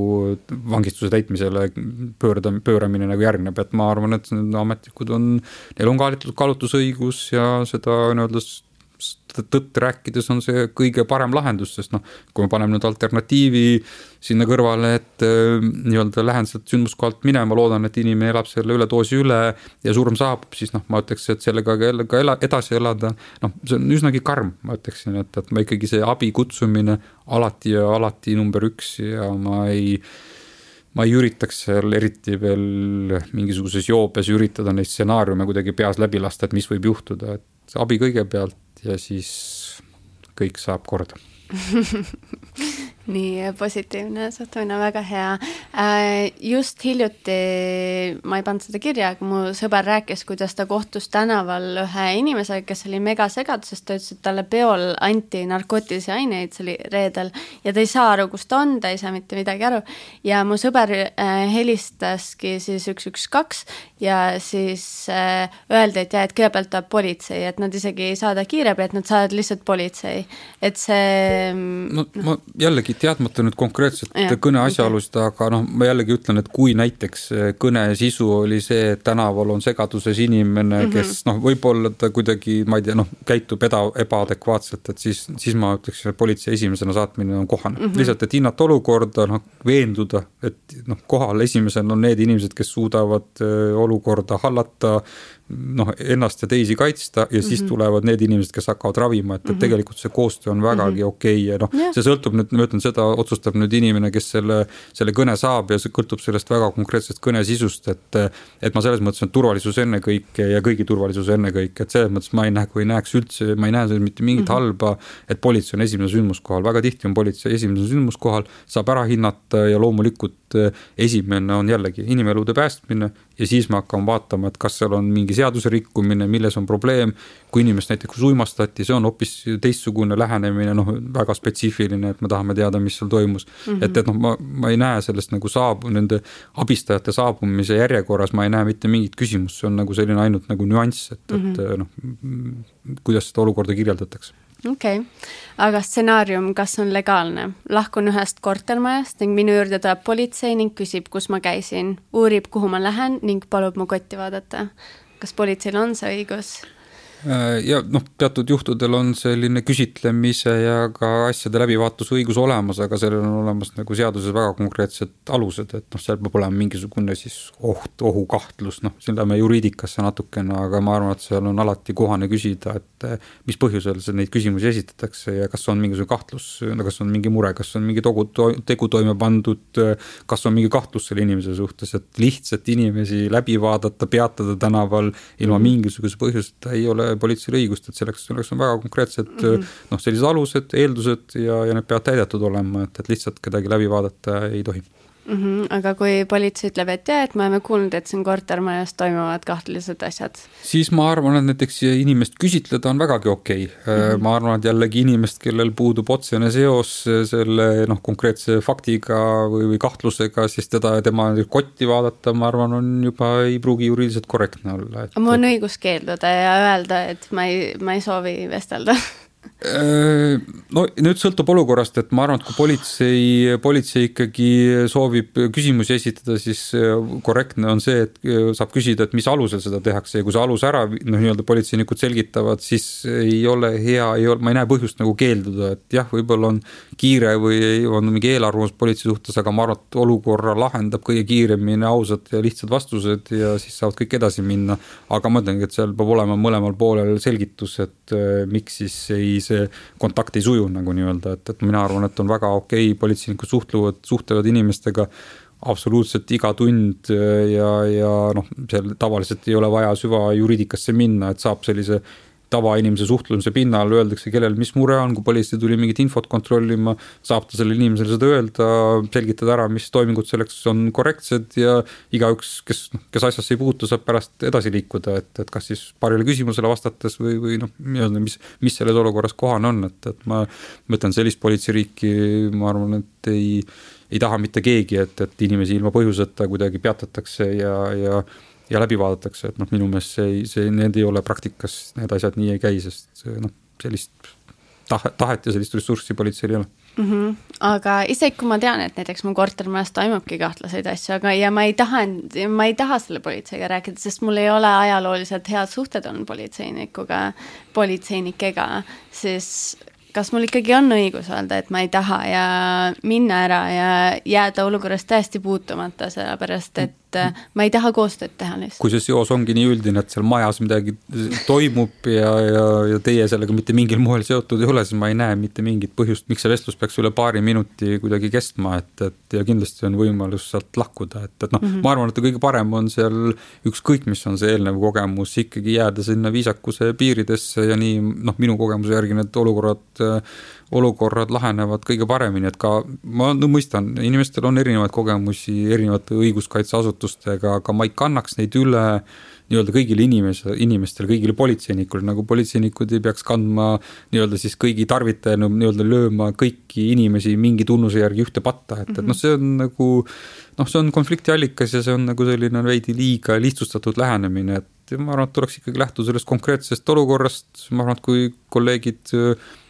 vangistuse täitmisele pööramine nagu järgneb, et ma arvan, et ametnikud neil on kaalutlusõigus ja seda tõtt rääkides on see kõige parem lahendus, sest kui me paneme nüüd alternatiivi sinna kõrvale, et nii-öelda lähen sealt sündmuskohalt minema, loodan, et inimene elab selle üledoosi üle ja surm saabub, siis ma ütleks, et sellega edasi elada, see on üsnagi karm, ma ütleksin, et ma ikkagi see abi kutsumine alati number 1 ja ma ei üritaks seal eriti veel mingisuguses joopes üritada neid stsenaariume kuidagi peas läbi lasta, et mis võib juhtuda, et abi kõigepealt ja siis kõik saab korda. Nii positiivne suhtumine, väga hea. Just hiljuti, ma ei pannud seda kirja, aga mu sõber rääkis, kuidas ta kohtus tänaval ühe inimesega, kes oli mega segaduses, ta ütles, et talle peol anti narkootilisi aineid, see oli reedel ja ta ei saa aru, kus ta on, ta ei saa mitte midagi aru ja mu sõber helistaski siis 112 ja siis öeldi, et et kõigepealt tuleb politsei, et nad isegi ei saada kiirabi, et nad saavad lihtsalt politsei, et see ma jällegi teadmata nüüd konkreetselt kõne asjaolust, aga ma jällegi ütlen, et kui näiteks kõne sisu oli see, et tänaval on segaduses inimene, kes võib-olla ta kuidagi, ma ei tea, käitub ebaadekvaatselt, et siis ma ütleks, et politsei esimesena saatmine on kohane. Lihtsalt, et hinnata olukorda, veenduda, et kohal esimesena on need inimesed, kes suudavad olukorda hallata, ennast ja teisi kaitsta ja siis tulevad need inimesed, kes hakkavad ravima, et tegelikult see koostöö on vägagi okei. Ja see sõltub nüüd, ma ütlen, seda otsustab nüüd inimene, kes selle kõne saab ja see kõltub sellest väga konkreetsest kõne sisust, et ma selles mõttes on turvalisus ennekõike ja kõigi turvalisus ennekõike, et selles mõttes ma ei näeks üldse, ma ei näe mitte mingit halba, et politsei on esimene sündmuskohal, väga tihti on politsei esimene sündmuskohal, saab ära hinnata ja loomulikult et esimene on jällegi inimelude päästmine ja siis me hakkame vaatama, et kas seal on mingi seaduse rikkumine, milles on probleem. Kui inimest näiteks uimastati, see on hoopis teistsugune lähenemine, väga spetsiifiline, et me tahame teada, mis seal toimus. Et ma ei näe sellest nagu nende abistajate saabumise järjekorras, ma ei näe mitte mingit küsimust, see on nagu selline ainult nagu nüanss, et kuidas seda olukorda kirjeldatakse. Okei. Aga stsenaarium, kas on legaalne? Lahkun ühest kortermajast ning minu juurde tuleb politsei ning küsib, kus ma käisin, uurib, kuhu ma lähen ning palub mu kotti vaadata. Kas politseil on see õigus? Ja teatud juhtudel on selline küsitlemise ja ka asjade läbivaatus õigus olemas, aga sellel on olemas nagu seaduses väga konkreetsed alused, et seal peab olema mingisugune siis ohukahtlus, siin läheme juriidikasse natukene, aga ma arvan, et seal on alati kohane küsida, et mis põhjusel neid küsimusi esitatakse ja kas on mingisugune kahtlus, kas on mingi mure, kas on mingi tegu toime pandud, kas on mingi kahtlus selle inimese suhtes, et lihtsalt inimesi läbi vaadata, peatada tänaval ilma mingisuguse põhjuseta ei ole politseil õigust, et selleks on väga konkreetsed sellised alused, eeldused ja need peavad täidetud olema, et lihtsalt kedagi läbi vaadata ei tohi. Aga kui politsei ütleb, et et me oleme kuulnud, et siin kortermajas toimuvad kahtlased asjad. Siis ma arvan, et näiteks inimest küsitleda on vägagi okei. Ma arvan, et jällegi inimest, kellel puudub otsene seos selle konkreetse faktiga või kahtlusega, siis tema kotti vaadata, ma arvan, on juba ei pruugi juriidiliselt korrektne olla. Mul on õigus keelduda ja öelda, et ma ei soovi vestelda. Nüüd sõltub olukorrast, et ma arvan, et kui politsei ikkagi soovib küsimusi esitada, siis korrektne on see, et saab küsida, et mis alusel seda tehakse ja kui see alus ära, nii-öelda politseinikud selgitavad, siis ei ole hea, ma ei näe põhjust nagu keelduda, et jah, võib-olla on kiire või on mingi eelarvamus politsei suhtes, aga ma arvan, et olukorra lahendab kõige kiiremini ausad ja lihtsad vastused ja siis saavad kõik edasi minna, aga ma mõtlengi, et seal peab olema mõlemal poolel selgitus, et miks siis see kontakt ei suju nagu nii-öelda, et mina arvan, et on väga okei, politseinikud suhtlevad inimestega absoluutselt iga tund ja seal tavaliselt ei ole vaja süva juriidikasse minna, et saab sellise tavainimese suhtlemise pinnal öeldakse, kellel mis mure on, kui politsei tuli mingit infot kontrollima, saab ta sellele inimesele seda öelda, selgitada ära, mis toimingud selleks on korrektsed ja igaüks, kes asjasse ei puutu, saab pärast edasi liikuda, et kas siis paarile küsimusele vastates või mis selles olukorras kohane on, et ma mõtlen sellist politseiriiki, ma arvan, et ei taha mitte keegi, et inimesi ilma põhjuseta kuidagi peatatakse ja läbi vaadatakse, et minu meelest need ei ole praktikas, need asjad nii ei käi, sest sellist tahet ja sellist ressurssi politseil ei ole. Aga isegi kui ma tean, et näiteks mu kortermajas toimubki kahtlaseid asju, ja ma ei taha selle politseiga rääkida, sest mul ei ole ajalooliselt head suhted on politseinikega, siis kas mul ikkagi on õigus öelda, et ma ei taha ja minna ära ja jääda olukorrast täiesti puutumata, sellepärast, et ma ei taha koostööd teha lihtsalt. Kui see seos ongi nii üldine, et seal majas midagi toimub ja teie sellega mitte mingil moel seotud ei ole, siis ma ei näe mitte mingit põhjust, miks see vestlus peaks üle paari minuti kuidagi kestma, ja kindlasti on võimalus sealt lahkuda, ma arvan, et kõige parem on seal ükskõik, mis on see eelnev kogemus, ikkagi jääda sinna viisakuse piiridesse ja nii, minu kogemuse järgi need olukorrad lahenevad kõige paremini, et ka ma mõistan, inimestel on erinevaid kogemusi erinevate õiguskaitseasutustega, aga ma ei kannaks neid üle nii-öelda kõigile inimestele, kõigile politseinikule, nagu politseinikud ei peaks kandma nii-öelda siis kõigi tarvitajana nii-öelda lööma kõiki inimesi mingi tunnuse järgi ühte patta, et see on nagu see on konflikti allikas ja see on nagu selline veidi liiga lihtsustatud lähenemine, et ma arvan, et tuleks ikkagi lähtuda sellest konkreetsest olukorrast, ma arvan, et kui kolleegid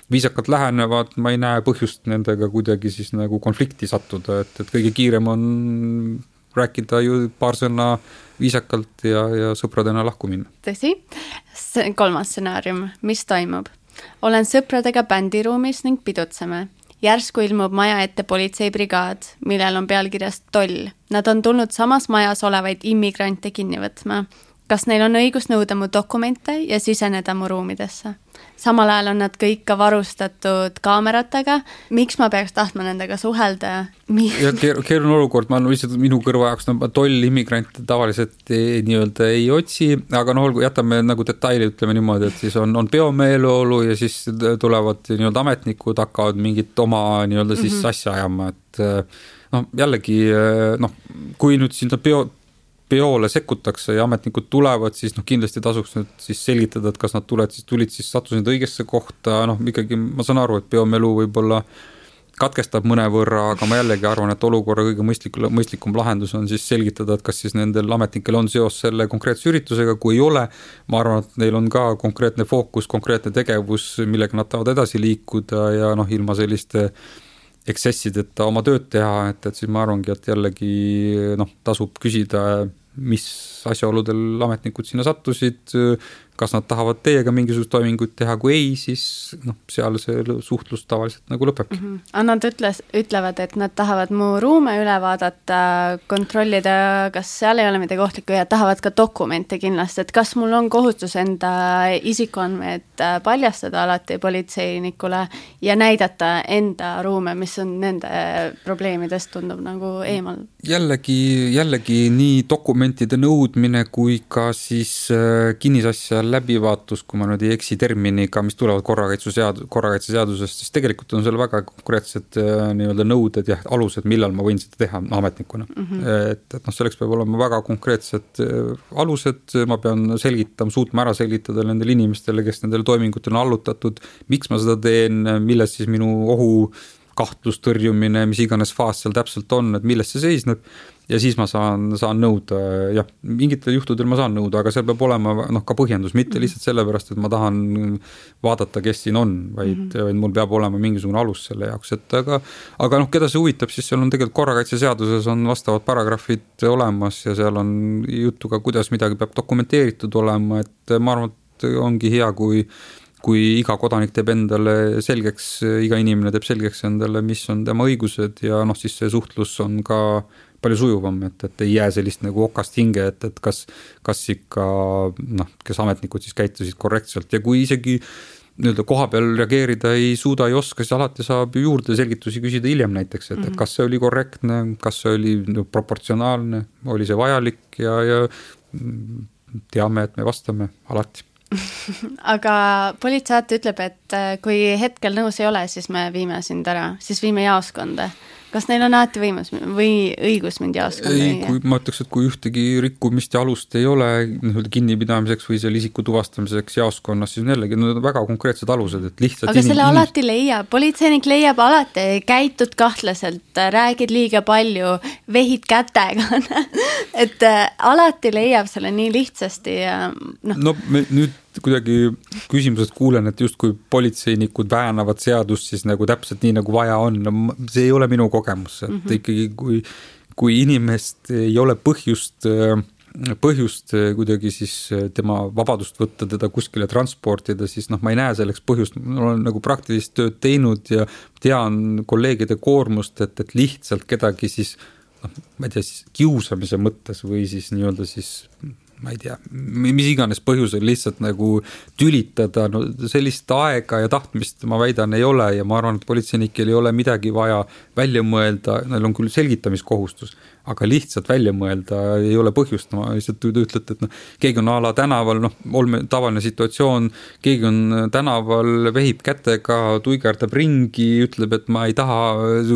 viisakalt lähenevad, ma ei näe põhjust nendega kuidagi siis nagu konflikti sattuda, et kõige kiirem on rääkida ju paar sõna viisakalt ja sõpradena lahku minna. Tõsi, 3. stsenaarium, mis toimub? Olen sõpradega bändiruumis ning pidutseme. Järsku ilmub maja ette politseibrigaad, millel on pealkirjas toll. Nad on tulnud samas majas olevaid immigrante kinni võtma. kas neil on õigus nõuda mu dokumente ja siseneda mu ruumidesse. Samal ajal on nad kõik ka varustatud kaameratega. Miks ma peaks tahtma nendega suhelda? Ja keeruline olukord, ma lihtsalt minu kõrva jaoks tollimmigrante tavaliselt nii-öelda ei otsi, aga olgu, jätame nagu detaili, ütleme niimoodi, et siis on peomeeleolu ja siis tulevad nii-öelda ametnikud, hakkavad mingit oma nii-öelda siis asja ajama, et jällegi, kui nüüd sinna peole sekkutakse ja ametnikud tulevad, siis kindlasti tasuks nüüd siis selgitada, et kas nad tulid siis sattusid õigesse kohta, ikkagi ma saan aru, et peomelu võib-olla katkestab mõnevõrra, aga ma jällegi arvan, et olukorra kõige mõistlikum lahendus on siis selgitada, et kas siis nendel ametnikel on seos selle konkreetse üritusega, kui ei ole, ma arvan, et neil on ka konkreetne fookus, konkreetne tegevus, millega nad tahavad edasi liikuda ja ilma selliste eksessideta oma tööd teha, et siis ma arvangi, et jällegi tasub küsida, mis asjaoludel ametnikud sinna sattusid, kas nad tahavad teiega mingisugust toiminguid teha, kui ei, siis seal see suhtlus tavaliselt nagu lõpebki. Nad ütlevad, et nad tahavad mu ruume üle vaadata, kontrollida, kas seal ei ole midagi ohtlikku ja tahavad ka dokumente kindlasti, et kas mul on kohustus enda isikuandmed paljastada alati politseinikule ja näidata enda ruume, mis on nende probleemidest tundub nagu eemal. Jällegi nii dokumentide nõudmine kui ka siis kinnisasja läbivaatus, kui ma nüüd ei eksi terminiga, mis tulevad korrakaitseseadusest, siis tegelikult on seal väga konkreetsed nii-öelda nõuded ja alused, millal ma võin seda teha ametnikuna. Et selleks peab olema väga konkreetsed alused, ma pean suutma ära selgitada nendele inimestele, kes nendele toimingutele on allutatud, miks ma seda teen, milles siis minu kahtlustõrjumine, mis iganes faas seal täpselt on, et milles see seisneb ja siis ma saan nõuda, jah, mingitel juhtudel ma saan nõuda, aga seal peab olema ka põhjendus, mitte lihtsalt sellepärast, et ma tahan vaadata, kes siin on, vaid mul peab olema mingisugune alus selle jaoks, et aga keda see huvitab, siis seal on tegelikult korrakaitseseaduses on vastavad paragrahvid olemas ja seal on juttu ka, kuidas midagi peab dokumenteeritud olema, et ma arvan, et ongi hea, kui iga kodanik teeb endale selgeks, iga inimene teeb selgeks endale, mis on tema õigused ja siis see suhtlus on ka palju sujuvam, et ei jää sellist nagu okast hinge, et kas ikka, kes ametnikud siis käitusid korrektselt ja kui isegi nii-öelda koha peal reageerida ei suuda, ei oska, siis alati saab juurde selgitusi küsida hiljem näiteks, et kas see oli korrektne, kas see oli proportsionaalne, oli see vajalik ja teame, et me vastame alati. Aga politseid ütleb, et kui hetkel nõus ei ole, siis me viime sind ära, siis viime jaoskonda. Kas neil on alati võimus või õigus mind jaoskonda? Ei, ma ütleks, et kui ühtegi rikkumist ja alust ei ole kinnipidamiseks või seal isiku tuvastamiseks jaoskonnas, siis jällegi need on väga konkreetsed alused, et lihtsalt aga selle alati leiab, politseinik leiab alati, käitud kahtlaselt, räägid liiga palju, vehid kätega, et alati leiab selle nii lihtsasti ja nüüd kuidagi küsimusest kuulen, et justkui politseinikud väänavad seadust siis nagu täpselt nii, nagu vaja on. See ei ole minu kogemus, et ikkagi kui inimest ei ole põhjust kuidagi siis tema vabadust võtta, teda kuskile transportida, siis ma ei näe selleks põhjust. Ma olen nagu praktilist tööd teinud ja tean kolleegide koormust, et lihtsalt kedagi siis, ma ei tea, siis kiusamise mõttes või siis nii-öelda siis ma ei tea, mis iganes põhjusel lihtsalt nagu tülitada, sellist aega ja tahtmist ma väidan ei ole ja ma arvan, et politseinikel ei ole midagi vaja välja mõelda, neil on küll selgitamiskohustus, aga lihtsalt välja mõelda ei ole põhjust, ma lihtsalt ütlete, et keegi on ala tänaval, tavaline situatsioon, keegi on tänaval, vehib kätega, tuigerdab ringi, ütleb, et ma ei taha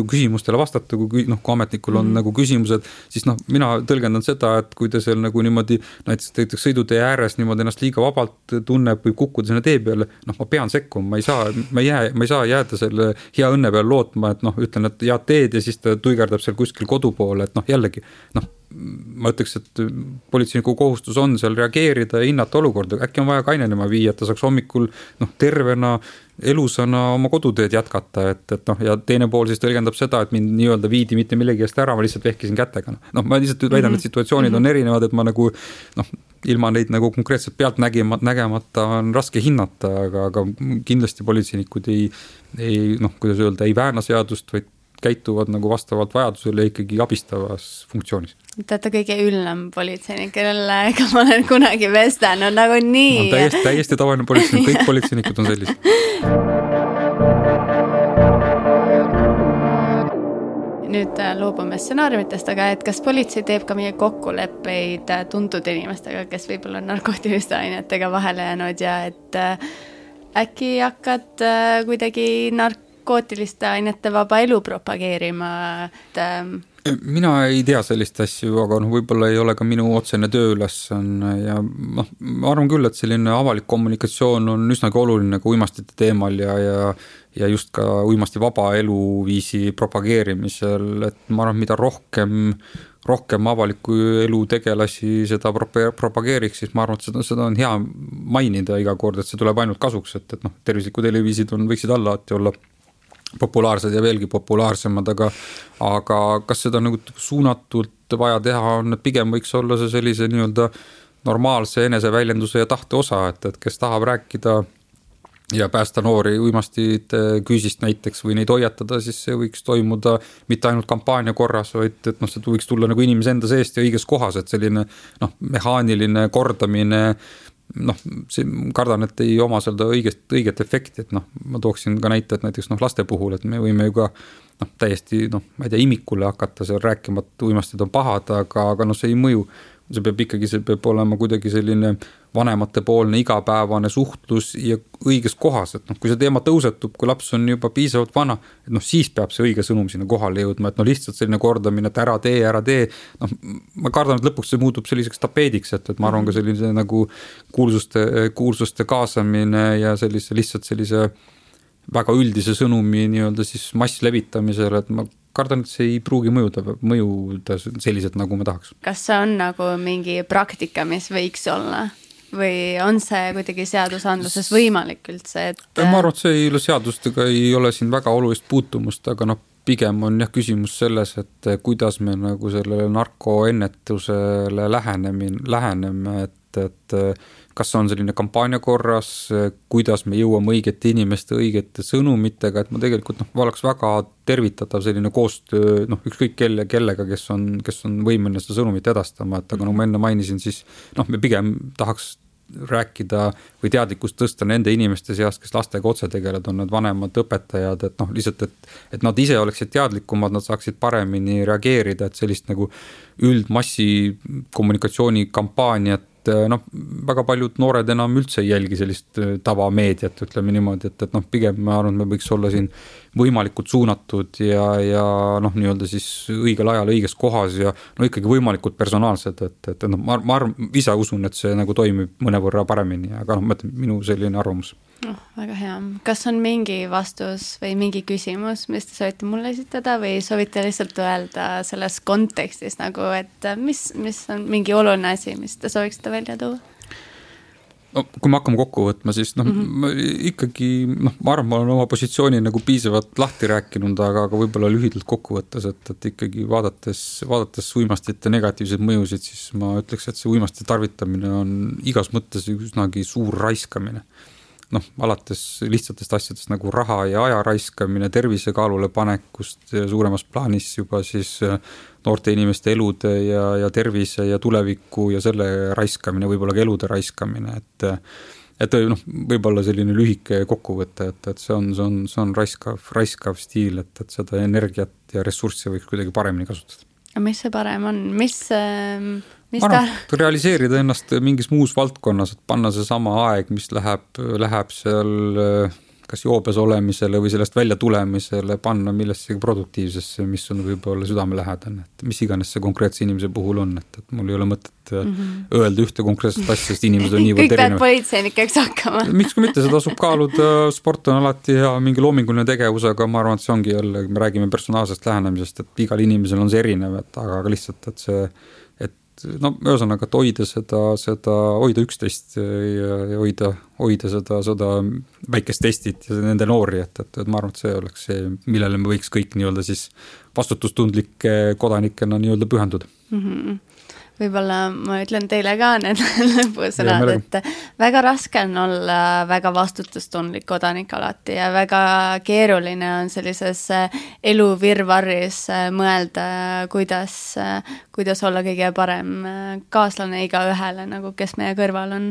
küsimustele vastata, kui ametnikul on nagu küsimused, siis mina tõlgendan seda, et kui te seal nagu niimoodi näiteks sõidutee ääres niimoodi ennast liiga vabalt tunneb või kukkuda sinna tee peale, ma pean sekkuma, ma ei saa jääda selle hea õnne peale lootma, et ütlen, et head teed ja siis ta tuigerdab seal kuskil kodu poole, et jällegi, ma ütleks, et politseiniku kohustus on seal reageerida ja hinnata olukorda, äkki on vaja kainenema viia, et ta saaks hommikul tervena, elusana oma koduteed jätkata, ja teine pool siis tõlgendab seda, et mind nii-öelda viidi mitte millegi eest ära, ma lihtsalt vehkisin kätega. Ma lihtsalt väidan, et situatsioonid on erinevad, et ma nagu, ilma neid nagu konkreetselt pealt nägemata on raske hinnata, aga kindlasti politseinikud ei, kuidas öelda, ei vääna seadust, vaid käituvad nagu vastavalt vajadusele ikkagi abistavas funktsioonis. Te olete kõige üllem politseinik, kellega ma olen kunagi vestanud, nagu nii. Täiesti tavaline politseinik, kõik politseinikud on sellised. Nüüd loobume stsenaariumitest, aga et kas politsei teeb ka meie kokkuleppeid tuntud inimestega, kes võib-olla on narkootiliste ainetega vahele jäänud ja et äkki hakkad kuidagi narkootiliste ainete vaba elu propageerima, Mina ei tea sellist asju, aga võib-olla ei ole ka minu otsene tööülesanne ja ma arvan küll, et selline avalik kommunikatsioon on üsnagi oluline ka uimastite teemal ja just ka uimasti vaba eluviisi propageerimisel, et ma arvan, mida rohkem avaliku elu tegelasi seda propageeriks, siis ma arvan, et seda on hea mainida iga kord, et see tuleb ainult kasuks, et tervislikud eluviisid võiksid alati olla populaarsed ja veelgi populaarsemad, aga kas seda nagu suunatult vaja teha on, et pigem võiks olla see sellise nii-öelda normaalse eneseväljenduse ja tahte osa, et kes tahab rääkida ja päästa noori uimastid küüsist näiteks või neid hoiatada, siis see võiks toimuda mitte ainult kampaania korras, vaid et see võiks tulla nagu inimese enda seest ja õiges kohas, et selline mehaaniline kordamine see kardan, et ei oma seda õiget efekti, et ma tooksin ka näite, et näiteks laste puhul, et me võime ju ka täiesti, ma ei tea, imikule hakata seal rääkima, et uimastid on pahad, aga see ei mõju. See peab olema kuidagi selline vanematepoolne igapäevane suhtlus ja õiges kohas, et kui see teema tõusetub, kui laps on juba piisavalt vana, et siis peab see õige sõnum sinna kohale jõudma, et lihtsalt selline kordamine, et ära tee, ma kardan, et lõpuks see muutub selliseks tapeediks, et ma arvan ka sellise nagu kuulsuste kaasamine ja lihtsalt sellise väga üldise sõnumi nii-öelda siis masslevitamisele, et ma kardan, et see ei pruugi mõjuda sellised, nagu me tahaks. Kas see on nagu mingi praktika, mis võiks olla? Või on see kuidagi seadusandluses võimalik üldse? Ma arvan, et see ei ole seadustega, ei ole siin väga olulist puutumust, aga pigem on küsimus selles, et kuidas me nagu sellele narkoennetusele läheneme, et kas on selline kampaania korras, kuidas me jõuame õigete inimeste õigete sõnumitega, et ma tegelikult oleks väga tervitatav selline koostöö, ükskõik kellega, kes on võimeline seda sõnumit edastama, et aga ma enne mainisin, siis me pigem tahaks rääkida või teadlikkust tõsta nende inimeste seast, kes lastega otse tegelevad, on need vanemad õpetajad, et lihtsalt, et nad ise oleksid teadlikumad, nad saaksid paremini reageerida, et sellist nagu üldmassi kommunikatsiooni kampaaniat väga paljud noored enam üldse ei jälgi sellist tavameediat, ütleme niimoodi, et pigem ma arvan, me võiks olla siin võimalikult suunatud ja nii-öelda siis õigel ajal õiges kohas ja ikkagi võimalikult personaalsed, et ma arvan, ise usun, et see nagu toimib mõnevõrra paremini, aga minu selline arvamus. Väga hea. Kas on mingi vastus või mingi küsimus, mis te soovite mulle esitada või soovite lihtsalt öelda selles kontekstis nagu, et mis on mingi oluline asi, mis te sooviksite välja tuua? Kui me hakkame kokku võtma, siis ma ikkagi, ma arvan, ma olen oma positsiooni nagu piisavalt lahti rääkinud, aga võib-olla lühidalt kokku võttes, et ikkagi vaadates uimastite negatiivseid mõjusid, siis ma ütleks, et see uimastite tarvitamine on igas mõttes üsnagi suur raiskamine. Alates lihtsatest asjadest nagu raha ja aja raiskamine, tervise kaalule panekust suuremas plaanis juba siis noorte inimeste elude ja tervise ja tuleviku ja selle raiskamine, võib-olla ka elude raiskamine, et võib-olla selline lühike kokkuvõte, et see on raiskav stiil, et seda energiat ja ressurssi võiks kuidagi paremini kasutada. Mis see parem on? Realiseerida ennast mingis muus valdkonnas, et panna see sama aeg, mis läheb seal kas joobes olemisele või sellest välja tulemisele, panna millessegi produktiivsesse, mis on võib-olla südamelähedane, et mis iganes see konkreetse inimese puhul on, et mul ei ole mõtet öelda ühte konkreetset asja, sest inimesed on niivõrd erinevad. Kõik pead politseinikeks hakkama. Miks ka mitte, seda tasub kaaluda, sport on alati hea mingi loominguline tegevus, aga ma arvan, et see ongi jälle, me räägime personaalsest lähenemisest, et igal inimesel on see erinev, aga lihtsalt, et see ühesõnaga, et hoida üksteist ja hoida seda väikest testit ja nende noori, et ma arvan, et see oleks see, millele me võiks kõik nii-öelda siis vastutustundlike kodanikena nii-öelda pühenduda. võib-olla ma ütlen teile ka need lõpusõnad, et väga raske on olla väga vastutustundlik kodanik alati ja väga keeruline on sellises elu virvarris mõelda, kuidas olla kõige parem kaaslane igaühele, nagu kes meie kõrval on.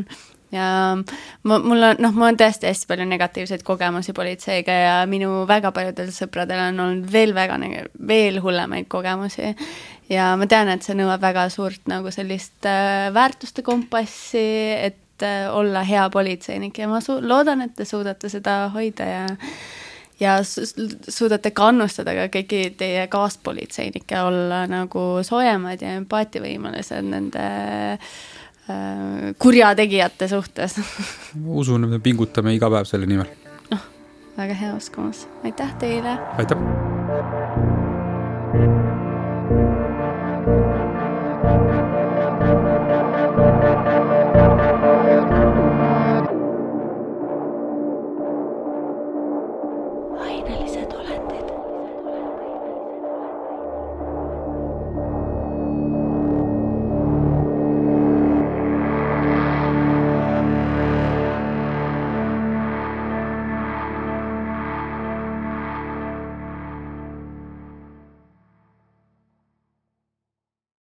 Ja mul on tõesti hästi palju negatiivseid kogemusi politseiga ja minu väga paljudel sõpradel on olnud veel hullemaid kogemusi ja ma tean, et see nõuab väga suurt nagu sellist väärtuste kompassi, et olla hea politseinik ja ma loodan, et te suudate seda hoida ja suudate kannustada ka kõiki teie kaaspolitseinikke olla nagu soojemad ja empaatiavõimelised nende kurjategijate suhtes. Usun, et me pingutame iga päev selle nimel. Väga hea uskumus. Aitäh teile! Aitäh!